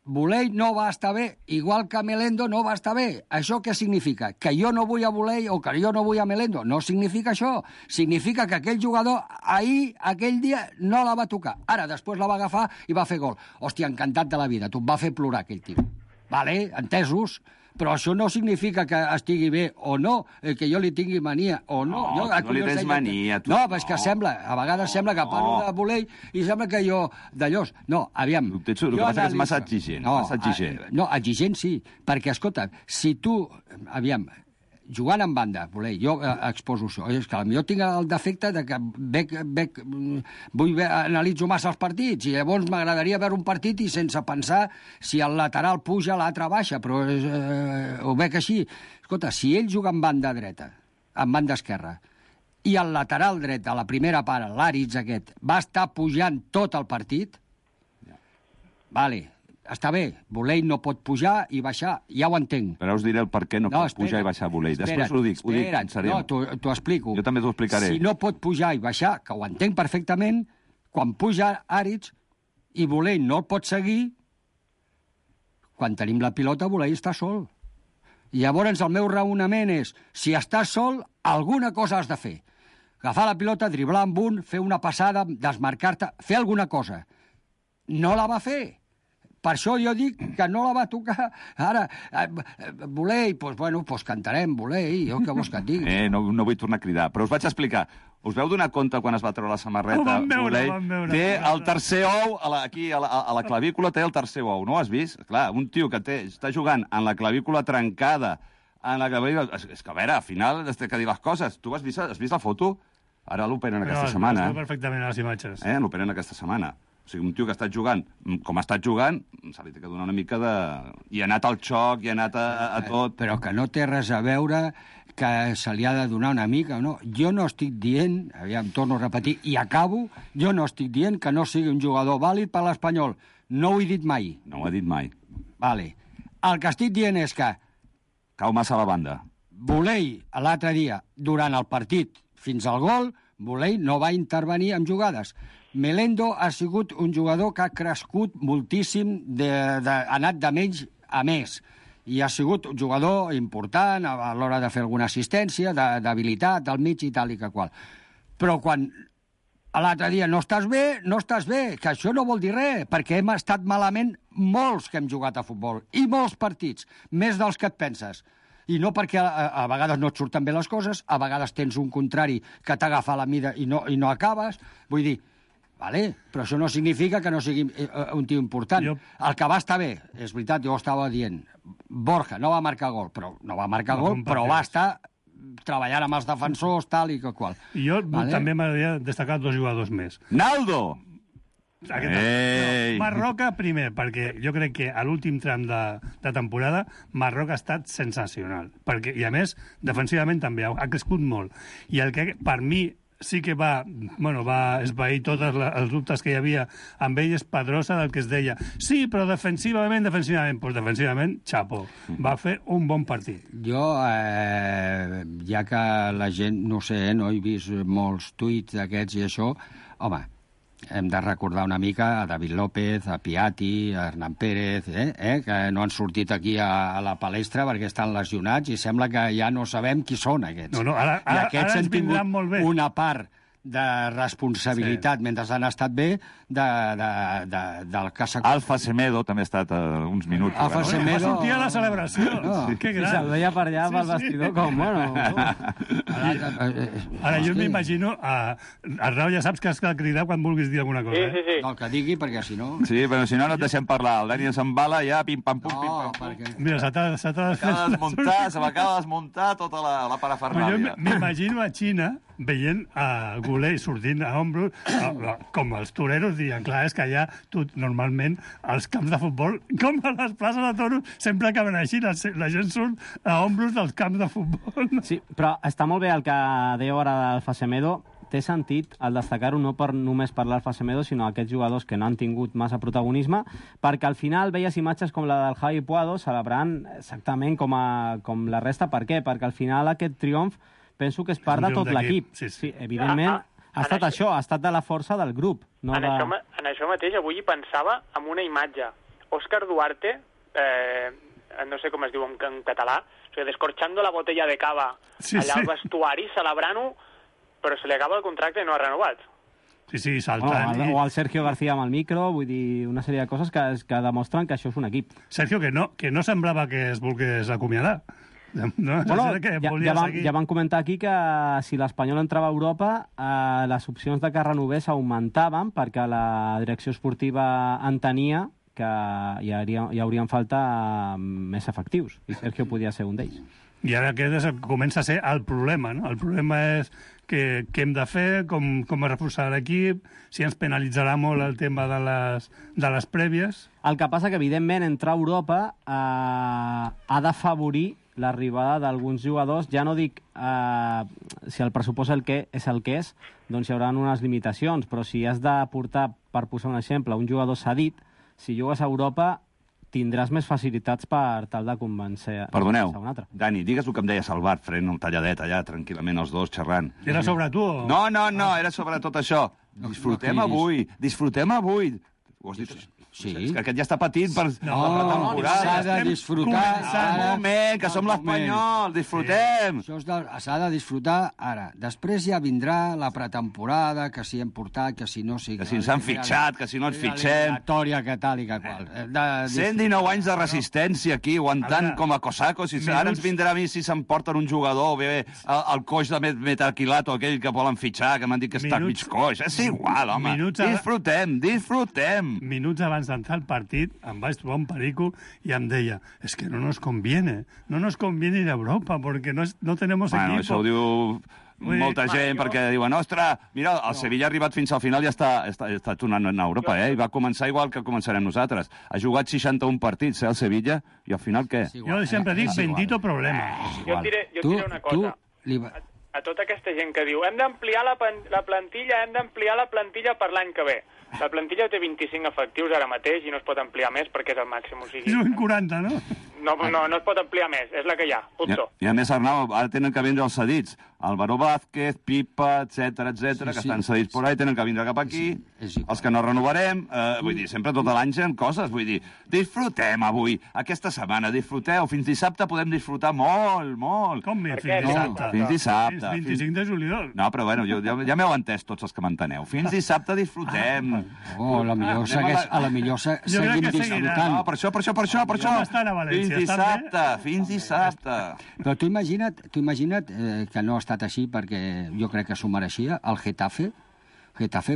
Buley no va estar bé, igual que Melendo no va estar bé. Això què significa? Que jo no vull a Buley o que jo no vull a Melendo? No significa això. Significa que aquell jugador ahir, aquell dia, no la va tocar. Ara, després la va agafar i va fer gol. Hòstia, encantat de la vida. Tu em va fer plorar aquell tio. Vale, entesos? Però això no significa que estigui bé o no, que jo li tingui mania o no. No, no li tens mania, tu. No, és que sembla, a vegades sembla que parlo de Buley i sembla que jo d'allòs. No, aviam. El que passa és massa exigent. No, exigent sí, perquè, escolta, si tu, aviam, jugant en banda, Buley, jo exposo això. És que potser tinc el defecte de que analitzo massa els partits i llavors m'agradaria veure un partit i sense pensar si el lateral puja, l'altre baixa, però ho veig així. Escolta, si ell juga en banda dreta, en banda esquerra, i el lateral dret a la primera part, l'Aritz aquest, va estar pujant tot el partit, vale, està bé, Buley no pot pujar i baixar, ja ho entenc. Però us diré el per què no pot pujar i baixar Buley. Després ho dic en sèrio. No, t'ho explico. Jo també t'ho explicaré. Si no pot pujar i baixar, que ho entenc perfectament, quan puja Aritz i Buley no el pot seguir, quan tenim la pilota, Buley està sol. I llavors el meu raonament és, si estàs sol, alguna cosa has de fer. Agafar la pilota, driblar amb un, fer una passada, desmarcar-te, fer alguna cosa. No la va fer. Per això jo dic que no la va tocar. Ara, Buley, doncs cantarem, Buley, jo què vols que et digui? No vull tornar a cridar, però us vaig explicar. Us veu donar compte quan es va treure la samarreta? Ho vam veure. Té el tercer ou, aquí a la clavícula té el tercer ou, no ho has vist? Clar, un tio que està jugant en la clavícula trencada, és que, a veure, al final has de dir les coses. Tu has vist la foto? Ara l'operen aquesta setmana. Perfectament a les imatges. L'operen aquesta setmana. O sigui, un tio que ha estat jugant com ha estat jugant, se li té que donar una mica de... I ha anat al xoc, i ha anat a tot... Però que no té res a veure que se li ha de donar una mica, no? Jo no estic dient, aviam, torno a repetir, i acabo, jo no estic dient que no sigui un jugador vàlid per l'Espanyol. No ho he dit mai. No ho ha dit mai. Vale. El que estic dient és que... Cau massa a la banda. Volei, l'altre dia, durant el partit, fins al gol, Volei no va intervenir en jugades. Melendo ha sigut un jugador que ha crescut moltíssim, ha anat de menys a més, i ha sigut un jugador important a l'hora de fer alguna assistència, d'habilitat, del mig i tal i que qual. Però quan l'altre dia no estàs bé, que això no vol dir res, perquè hem estat malament molts que hem jugat a futbol, i molts partits, més dels que et penses. I no perquè a vegades no et surten bé les coses, a vegades tens un contrari que t'agafa la mida i no acabes. Vull dir, vale, però això no significa que no sigui un tio important. El que va estar bé, és veritat, jo ho estava dient, Borja no va marcar gol, però va estar treballant amb els defensors, tal i que qual. I jo també m'agradaria destacar 2 jugadors més. Naldo! Marroca, primer, perquè jo crec que a l'últim tram de temporada Marroca ha estat sensacional. I, a més, defensivament també ha crescut molt. I el que, per mi, sí que va esvair tots els dubtes que hi havia amb ell és Pedrosa, del que es deia sí, però defensivament, doncs defensivament, xapo, va fer un bon partit. Jo, ja que la gent, no sé, no he vist molts tuits d'aquests i això, home, hem de recordar una mica a David López, a Piatti, a Hernán Pérez, que no han sortit aquí a la palestra perquè estan lesionats i sembla que ja no sabem qui són aquests. I aquests han tingut una part de responsabilitat mentre han estat bé del cas... Alfa Semedo també ha estat uns minuts. Alfa Semedo... Va sortir a la celebració. Que gran. Se'l veia per allà pel vestidor com, bueno... Ara jo m'imagino... Arnau, ja saps que has de cridar quan vulguis dir alguna cosa. Sí. No, el que digui, perquè si no... Sí, però si no, no et deixem parlar. El Dani s'embala ja, pim-pam-pum, pim-pam-pum. Mira, s'ha m'acaba de desmuntar tota la parafernàlia. Jo m'imagino a Xina veient a Goulet sortint a ombros, com els toreros diuen, clar, és que allà normalment els camps de futbol, com a les places de toros, sempre acaben així, la gent surt a ombros dels camps de futbol. Sí, però està molt bé el que dèieu ara d'Alfa Semedo. Té sentit el destacar-ho no per només parlar d'Alfa Semedo, sinó aquests jugadors que no han tingut massa protagonisme, perquè al final veies imatges com la del Javi Puado celebrant exactament com la resta. Per què? Perquè al final aquest triomf penso que és part de tot l'equip. Sí, evidentment, ha estat això, ha estat de la força del grup. No en això mateix, avui hi pensava en una imatge. Òscar Duarte, no sé com es diu en català, o sigui, descorxando la botella de cava allà al vestuari, celebrant-ho, però se li acaba el contracte i no ha renovat. Sí, saltant. O el Sergio García amb el micro, vull dir, una sèrie de coses que demostren que això és un equip. Sergio, que no semblava que es volgués acomiadar. No, ja van comentar aquí que si l'Espanyol entrava a Europa les opcions de que renovés augmentaven perquè la direcció esportiva entenia que hi haurien falta més efectius i Sergio podia ser un d'ells. I ara aquest comença a ser el problema, no? El problema és què hem de fer, com reforçar l'equip, si ens penalitzarà molt el tema de les prèvies. El que passa que, evidentment, entrar a Europa ha d'afavorir l'arribada d'alguns jugadors. Ja no dic si el pressupost és el que és, doncs hi haurà unes limitacions, però si has de portar, per posar un exemple, un jugador cedit, si jugues a Europa tindràs més facilitats per tal de convèncer Perdoneu, un altre. Dani, digues el que em deia Salvat, fent un talladet allà, tranquil·lament, els dos, xerrant. Era sobre tu? O... No, era sobre tot això. Disfrutem avui. Ho has dit? Sí. És que aquest ja està patint per la pretemporada. S'ha de disfrutar. Un moment, que som l'Espanyol, disfrutem. S'ha de disfrutar ara. Després ja vindrà la pretemporada, que si hem portat, que si no... Que si ens han fitxat, que si no ens fitxem. La que tal i que qual. 119 anys de resistència aquí, aguantant com a cosacos. Ara ens vindrà a mi si s'emporten un jugador, o bé el coix de Metaquilato, aquell que volen fitxar, que m'han dit que està mig coix. És igual, home. Disfrutem. minuts abans d'entrar al partit, em vaig trobar un perico i em deia, es que no nos conviene ir a Europa, porque no tenemos equipo. Bueno, això ho diu molta gent, perquè diuen, ostres, mira, el Sevilla ha arribat fins al final i està tornant a Europa, I va començar igual que començarem nosaltres. Ha jugat 61 partits, el Sevilla, i al final què? Jo sempre dic, bendito problema. Jo et diré una cosa. A tota aquesta gent que diu hem d'ampliar la plantilla per l'any que ve. La plantilla té 25 efectius ara mateix i no es pot ampliar més perquè és el màxim. O sigui, és un 40, no? No es pot ampliar més, és la que hi ha, punto. I a més, Arnau, ara tenen que vindre els cedits. Álvaro Vázquez, Pipa, etc que estan cedits por ahí, tenen que vindre cap aquí. Els que no renovarem, vull dir, sempre tot l'any gent coses, vull dir, disfrutem avui, aquesta setmana, disfruteu, fins dissabte podem disfrutar molt. Com fins dissabte? Fins dissabte. Fins 25 de juliol. No, però bueno, ja m'heu entès tots els que m'enteneu. Fins dissabte disfrutem. A la millor seguim disfrutant. No, per això. Fins dissabte. Però tu imagina't que no ha estat així, perquè jo crec que s'ho mereixia, el Getafe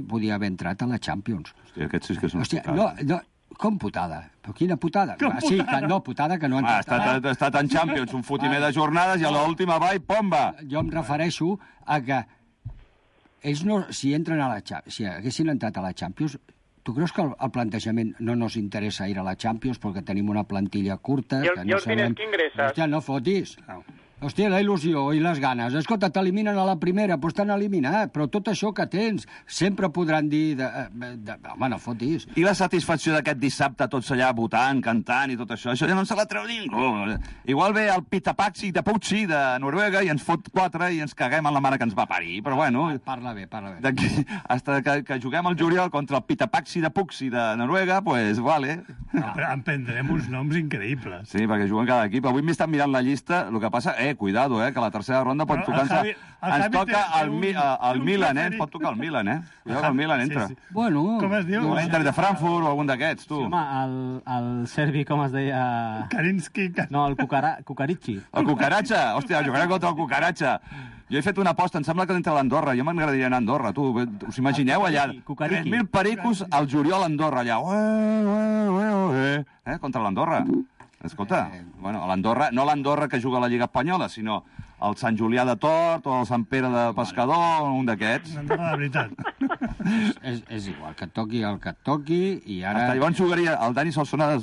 podia haver entrat a la Champions. Hòstia, aquest sí que és una putada. Com putada? Però quina putada? Sí, putada que no ha entrat. Ha estat en Champions, un fotimer de jornades, i a l'última va i pomba! Jo em refereixo a que ells no, si haguessin entrat a la Champions, tu creus que el plantejament no nos interessa ir a la Champions perquè tenim una plantilla curta? I els diners que ingresses? Hòstia, no fotis. Hòstia, la il·lusió i les ganes. Escolta, t'eliminen a la primera, doncs t'han eliminat, però tot això que tens sempre podran dir... Home, no fotis. I la satisfacció d'aquest dissabte, tots allà votant, cantant i tot això ja no se la treu ningú. Igual ve el Pitapaxi de Pucci de Noruega i ens fot 4 i ens caguem en la mare que ens va parir. Però bueno... Parla bé. D'aquí, hasta que juguem al juliol contra el Pitapaxi de Pucci de Noruega, pues vale. No, però en prendrem uns noms increïbles. Sí, perquè juguen cada equip. Avui m'he estat mirant la llista, el que passa... Cuidado, que la tercera ronda pot tocar... Ens toca el Milan, ens pot tocar el Milan, Cuidado que el Milan entra. Bueno... Com es diu? L'Inter de Frankfurt o algun d'aquests, tu. Home, el serbi, com es deia... Karinski. No, el Cucarachi. El Cucaratxa? Hòstia, jugarà contra el Cucaratxa. Jo he fet una aposta, em sembla que entra a l'Andorra. Jo m'agradaria anar a Andorra, tu. Us imagineu allà? 3.000 pericos al juliol a Andorra, allà. Contra l'Andorra. Escolta, bueno, l'Andorra, no l'Andorra que juga a la Lliga Espanyola, sinó el Sant Julià de Tort o el Sant Pere de Pescador, un d'aquests. L'Andorra de veritat. És igual, que et toqui el que et toqui i ara... Llavors jugaria, el Dani Solsona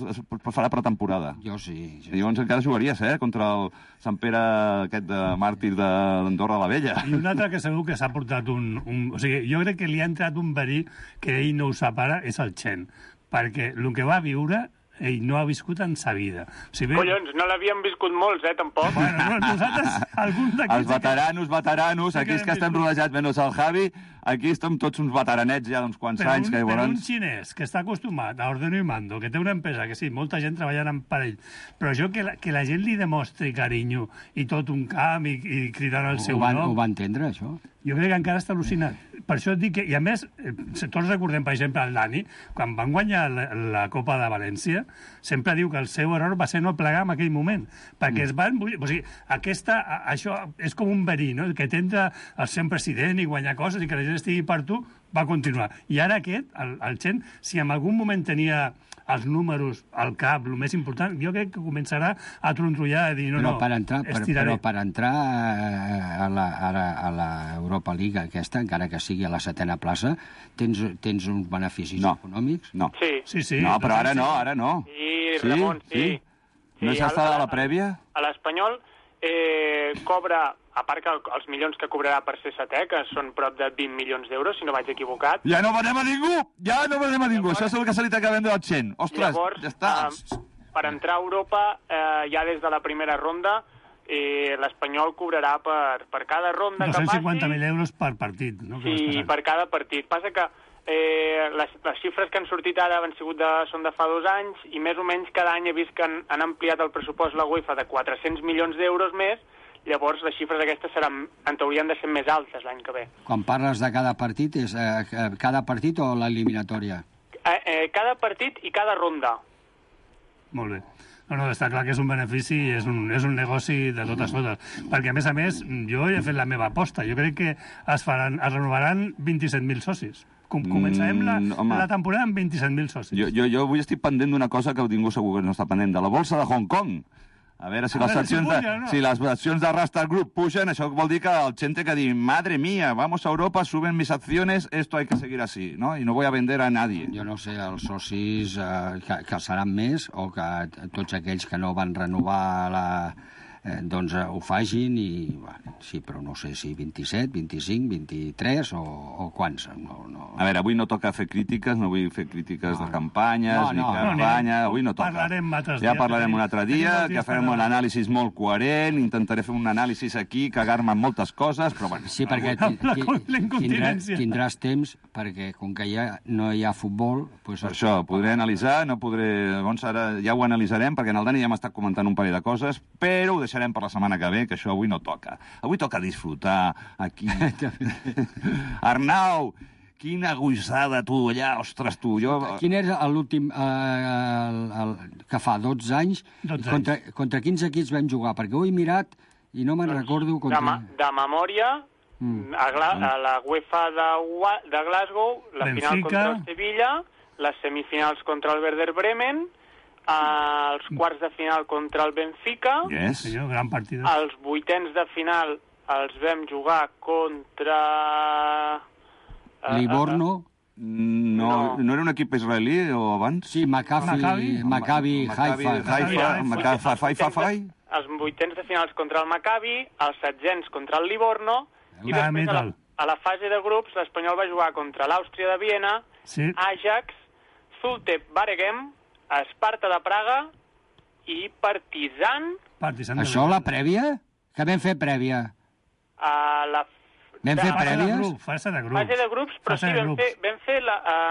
farà pretemporada. Jo sí. Llavors encara jugaries, contra el Sant Pere aquest de màrtir d'Andorra la Vella. I un altre que segur que s'ha portat O sigui, jo crec que li ha entrat un verí que ell no ho separa, és el Chen. Perquè el que va viure... ell no ha viscut en sa vida. Collons, no l'havíem viscut molts, tampoc. Bueno, nosaltres, alguns d'aquests... Els veteranos, aquí és que estem rodejats, menys el Javi, aquí estem tots uns veteranets ja d'uns quants anys. Però un xinès que està acostumat a ordeno i mando, que té una empresa, que sí, molta gent treballant per ell, però això que la gent li demostri carinyo i tot un camp i cridant el seu nom... Ho va entendre, això? Jo crec que encara està al·lucinat. Per això et dic que... I a més, tots recordem, per exemple, el Dani, quan van guanyar la Copa de València, sempre diu que el seu error va ser no plegar en aquell moment, perquè es van... O sigui, això és com un verí, no? Que t'entra el ser president i guanyar coses i que la gent estigui per tu, va continuar. I ara aquest, el Chen, si en algun moment tenia els números al cap, el més important, jo crec que començarà a trontrollar i dir, però per entrar a la Europa League aquesta, encara que sigui a la 7a plaça, tens uns beneficis econòmics? No. Sí. No, però ara no. Sí, Ramon, sí. No s'ha estat a la prèvia? A l'Espanyol cobra, a part que els milions que cobrarà per ser setè, que són prop de 20 milions d'euros, si no vaig equivocat. Ja no venem a ningú! Llavors, això és el que se li acaba de vendre al Chen. Ostres, llavors, ja està. Per entrar a Europa, ja des de la primera ronda, l'Espanyol cobrarà per cada ronda que passi... 250.000 euros per partit, no? Sí, per cada partit. Passa que les xifres que han sortit ara són de fa 2 anys i més o menys cada any he vist que han ampliat el pressupost la UEFA de 400 milions d'euros més. Llavors les xifres aquestes en teoria han de ser més altes l'any que ve. Quan parles de cada partit, és cada partit o l'eliminatòria? Cada partit i cada ronda. Molt bé. No, està clar que és un benefici i és un negoci de totes totes. Perquè, a més, jo he fet la meva aposta. Jo crec que es renovaran 27.000 socis. Començarem la temporada amb 27.000 socis. Jo avui estic pendent d'una cosa que ningú segur que no està pendent, de la bolsa de Hong Kong. A veure si les accions de Rasta Group pugen, això vol dir que el gent té que dir, madre mía, vamos a Europa, suben mis acciones, esto hay que seguir así, ¿no? Y no voy a vender a nadie. Jo no sé, els socis que seran més o que tots aquells que no van renovar doncs ho facin i, bueno, sí, però no sé si 27, 25, 23 o quants. No. A veure, avui no toca fer crítiques, no vull fer crítiques de campanyes, ni campanya, avui no toca. Ja parlarem un altre dia, que farem un anàlisi molt coherent, intentaré fer un anàlisi aquí, cagar-me en moltes coses, però bueno. Sí, perquè tindràs temps, perquè com que ja no hi ha futbol... Per això, podré analitzar, no podré... Llavors ara ja ho analitzarem, perquè en el Dani ja m'ha estat comentant un parell de coses, però ho deixarem per la setmana que ve, que això avui no toca. Avui toca disfrutar aquí. Arnau, quina aguissada, tu, allà, ostres, tu. Quin és l'últim que fa 12 anys? Contra quins equips vam jugar? Perquè ho he mirat i no me'n recordo... De memòria, a la UEFA de Glasgow, la final contra el Sevilla, les semifinals contra el Werder Bremen, els quarts de final contra el Benfica, gran partit. Els vuitens de final els vam jugar contra... Livorno? No era un equip israelí o abans? Sí, Maccabi Haifa. Els vuitens de finals contra el Maccabi, els setzents contra el Livorno, i després a la fase de grups l'Espanyol va jugar contra l'Àustria de Viena, Ajax, Zulte Waregem, Esparta de Praga i Partizan. Això la prèvia? Que vam fer prèvia? Vam fer prèvia? Fase de grups, però sí, vam fer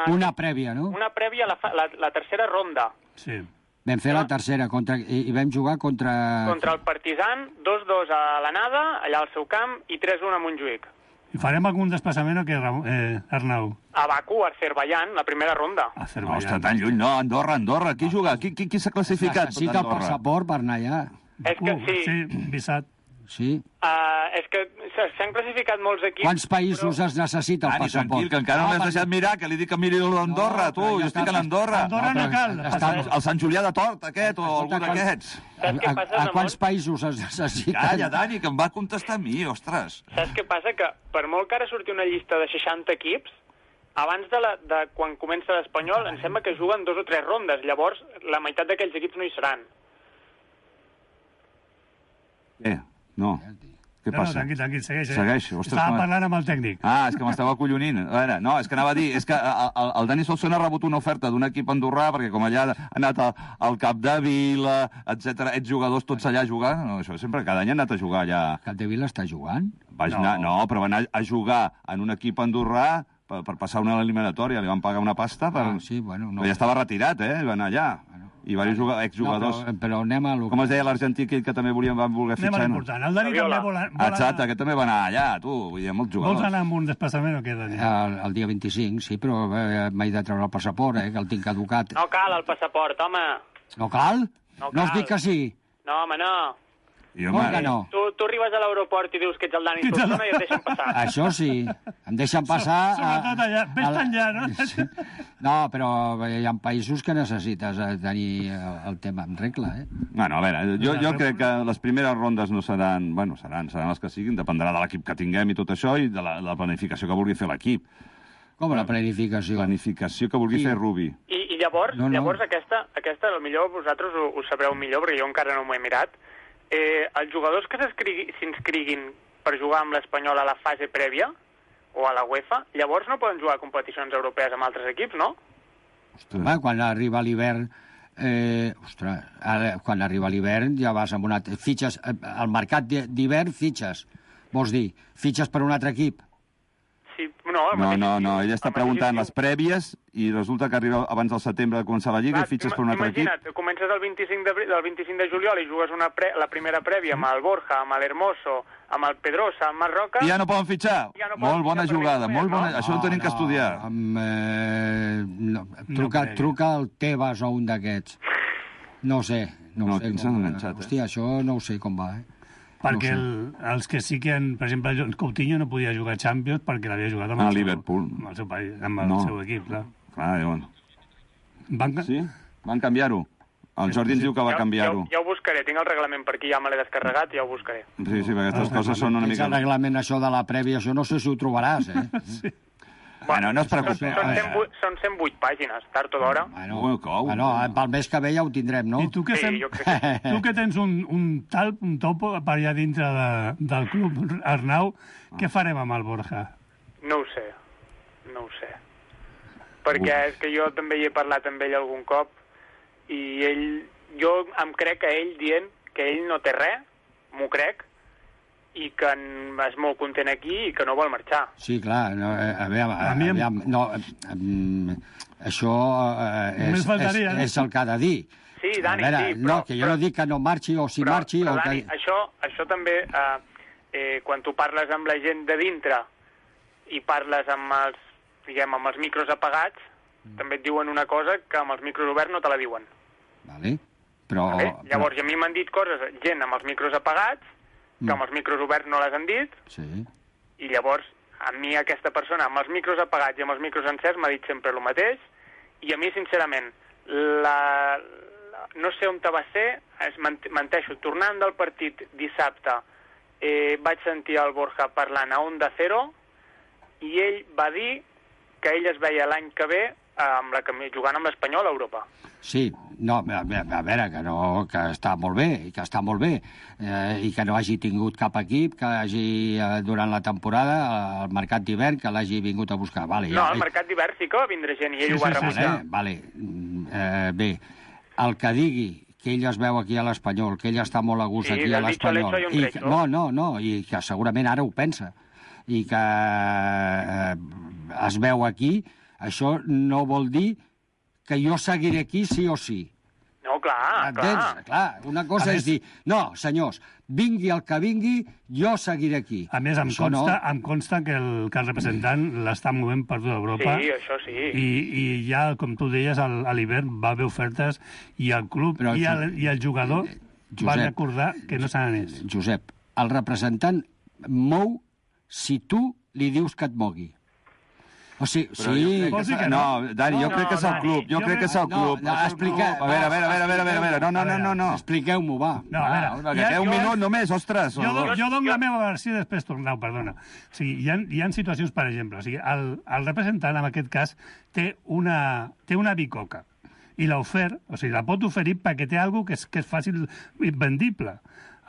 una prèvia, no? Una prèvia a la tercera ronda. Sí. Vam fer la tercera i vam jugar contra... Contra el Partizan, 2-2 a l'anada, allà al seu camp, i 3-1 a Montjuïc. I farem algun desplaçament o què, Arnau? A Baku, a Azerbaiyán, la primera ronda. Ostres, tan lluny, no, Andorra. Qui juga? Qui s'ha classificat? Necessita el passaport per anar allà. És que sí, visat. Sí. És que s'han classificat molts equips... Quants països es necessita el passaport? Tranquil, que encara no m'has deixat mirar, que li dic que miri l'Andorra, tu, jo estic a l'Andorra. Andorra no cal. El Sant Julià de Tort, aquest, o algú d'aquests. A quants països es necessita? Calla, Dani, que em va contestar a mi, ostres. Saps què passa? Que per molt que ara surti una llista de 60 equips, abans de quan comença l'Espanyol, em sembla que juguen 2 o 3 rondes. Llavors, la meitat d'aquells equips no hi seran. No. Què passa? No, tranquil, segueix. Estava parlant amb el tècnic. És que m'estava acollonint. A veure, no, és que anava a dir, és que el Dani Solsona ha rebut una oferta d'un equip andorrà, perquè com allà ha anat al Capdevila, etc, ets jugadors tots allà a jugar, no, això sempre, cada any ha anat a jugar allà. Capdevila està jugant? No, però va anar a jugar en un equip andorrà per passar una eliminatòria, li van pagar una pasta, ja estava retirat, va anar allà. I diversos exjugadors. Però anem a... Com es deia l'argentí que també van voler fitxar? Anem a l'important. El Dani també vol anar... Exacte, aquest també va anar allà, tu. Vull dir, molts jugadors. Vols anar amb un desplaçament o què, Dani? El dia 25, sí, però m'he de treure el passaport, que el tinc caducat. No cal el passaport, home. No cal? No us dic que sí? No, home, no. Com que no? Tu arribes a l'aeroport i dius que ets el Dani Solsona i et deixen passar. Això sí, em deixen passar... Sobretot allà, ves enllà, no? No, però hi ha països que necessites tenir el tema en regla, Bueno, a veure, jo crec que les primeres rondes no seran... Bueno, seran les que siguin, dependrà de l'equip que tinguem i tot això i de la planificació que vulgui fer l'equip. Com la planificació? Planificació que vulgui fer Rubi. I llavors aquesta potser vosaltres ho sabreu millor, perquè jo encara no m'ho he mirat. Els jugadors que s'inscriguin per jugar amb l'Espanyol a la fase prèvia o a la UEFA, llavors no poden jugar a competicions europees amb altres equips, no? Home, quan arriba l'hivern... quan arriba l'hivern ja vas amb una... Fitxes, al mercat d'hivern fitxes. Vols dir, fitxes per un altre equip? Sí, no, ella està preguntant les prèvies i resulta que arriba abans del setembre de començar la Lliga i fitxes per un altre equip. Imagina't, comences el 25 de juliol i jugues la primera prèvia amb el Borja, amb l'Hermoso, amb el Pedrosa, amb el Roca... I ja no poden fitxar? Molt bona jugada, molt bona... Això ho tenim que estudiar. Truca al Tebas o un d'aquests. No sé. Quins s'han enganxat, Hòstia, això no ho sé com va, perquè els que sí que per exemple, Coutinho no podia jugar a Champions perquè l'havia jugat amb el Liverpool. Amb el seu país, amb el seu equip, clar. Clar, llavors. Sí? Van canviar-ho. El Jordi ens diu que va canviar-ho. Ja ho buscaré, tinc el reglament per aquí, ja me l'he descarregat, ja ho buscaré. Sí, perquè aquestes coses són una mica... El reglament, això de la prèvia, això no sé si ho trobaràs, Sí. Bueno, no es preocupi. Són 108 pàgines, tard o d'hora. Bueno, pel mes que ve ja ho tindrem, no? I tu que tens un topo per allà dintre del club, Arnau, què farem amb el Borja? No ho sé. Perquè és que jo també hi he parlat amb ell algun cop i jo em crec a ell dient que ell no té res, m'ho crec, i que és molt content aquí i que no vol marxar. Sí, clar. Això és el que ha de dir. Sí, Dani, sí. No, que jo no dic que no marxi o si marxi... Però, Dani, això també, quan tu parles amb la gent de dintre i parles amb els micros apagats, també et diuen una cosa que amb els micros oberts no te la diuen. Vale, però... Llavors, a mi m'han dit coses, gent amb els micros apagats, que amb els micros oberts no les han dit, i llavors a mi aquesta persona amb els micros apagats i amb els micros encerts m'ha dit sempre el mateix, i a mi sincerament no sé on va ser, menteixo, tornant del partit dissabte vaig sentir el Borja parlant a Onda Cero i ell va dir que ell es veia l'any que ve jugant amb l'Espanyol a Europa. Sí, no, a veure, que està molt bé, i que no hagi tingut cap equip, que hagi, durant la temporada, al mercat d'hivern, que l'hagi vingut a buscar. Vale, no, al mercat d'hivern sí que va vindre gent i ell ho va rebutjar. Vale, bé, el que digui que ell es veu aquí a l'Espanyol, que ell està molt a gust aquí a l'Espanyol... No, i que segurament ara ho pensa, i que es veu aquí, això no vol dir que jo seguiré aquí sí o sí. No, clar. Una cosa és dir, no, senyors, vingui el que vingui, jo seguiré aquí. A més, em consta que el representant l'està movent per tota Europa. Sí, això sí. I ja, com tu deies, a l'hivern va haver ofertes i el club i el jugador van recordar que no se n'anés. Josep, el representant mou si tu li dius que et mogui. O sigui, sí... No, Dani, jo crec que és el club. Jo crec que és el club. Expliqueu... A veure. No. Expliqueu-m'ho, va. No, a veure... Que té un minut només, ostres. Jo dono la meva versió i després torneu, perdona. O sigui, hi ha situacions, per exemple, o sigui, el representant, en aquest cas, té una bicoca i l'ha ofert, o sigui, la pot oferir perquè té alguna cosa que és fàcil vendible.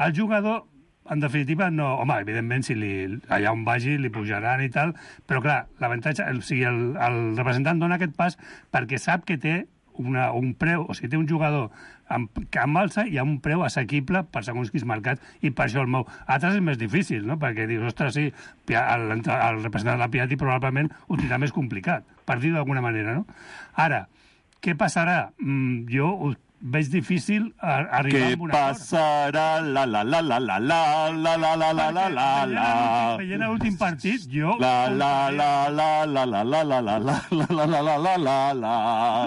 El jugador... En definitiva, no... Home, evidentment, si allà on vagi li pujaran i tal, però clar, l'avantatge... O sigui, el representant dona aquest pas perquè sap que té un preu, o sigui, té un jugador que amb alça i amb un preu assequible per segons quins mercats, i per això el mou. Altres és més difícil, no? Perquè dius, ostres, sí, el representant de la Piatti probablement ho tindrà més complicat, per dir d'alguna manera, no? Ara, què passarà? Jo veig difícil arribar a un acord. Què passarà? Veient l'últim partit, jo...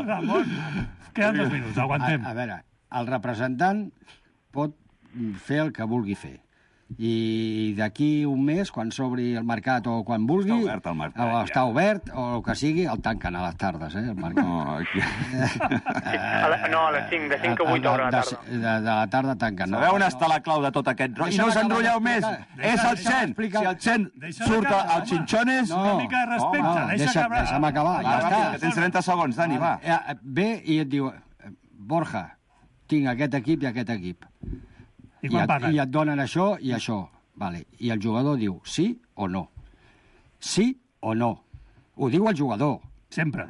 Ramon, queden 2 minuts, aguantem. A veure, el representant pot fer el que vulgui fer. I d'aquí un mes, quan s'obri el mercat o quan vulgui... Està obert el mercat, està obert, o el que sigui, el tanquen a les tardes, el mercat. No, a les 5, de 5 a 8 hores a la tarda. De la tarda tanquen. Sabeu on està la clau de tot aquest rotllo? I no us enrotlleu més! És el Chen! Si el Chen surt als xinxones... Una mica de respecte, deixa'm acabar. Ja està. Que tens 30 segons, Dani, va. Ve i et diu, Borja, tinc aquest equip i aquest equip. I et donen això i això. Vale. I el jugador diu sí o no. Sí o no. Ho diu el jugador. Sempre.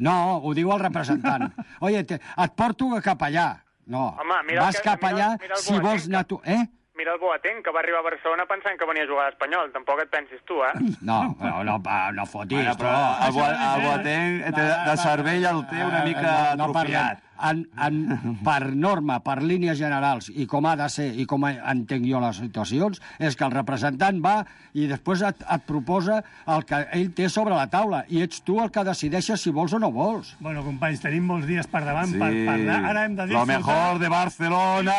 No, ho diu el representant. Oye, et porto cap allà. No, home, vas cap allà si vols anar tu... Mira el Boateng, que va arribar a Barcelona pensant que venia a jugar a l'Espanyol. Tampoc et pensis tu, No fotis. Però el Boateng de cervell el té una mica atrofiat. per norma, per línies generals, i com ha de ser, i com entenc jo les situacions, és que el representant va i després et proposa el que ell té sobre la taula, i ets tu el que decideixes si vols o no vols. Bueno, companys, tenim molts dies per davant per parlar. Ara hem de dir... Lo mejor de Barcelona...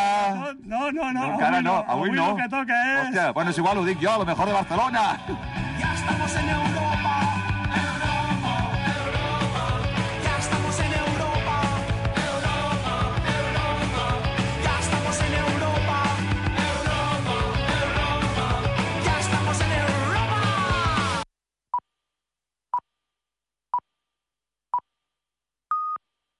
No, encara no, avui no. Avui el que toca és... Hòstia, bueno, és igual, ho dic jo, lo mejor de Barcelona.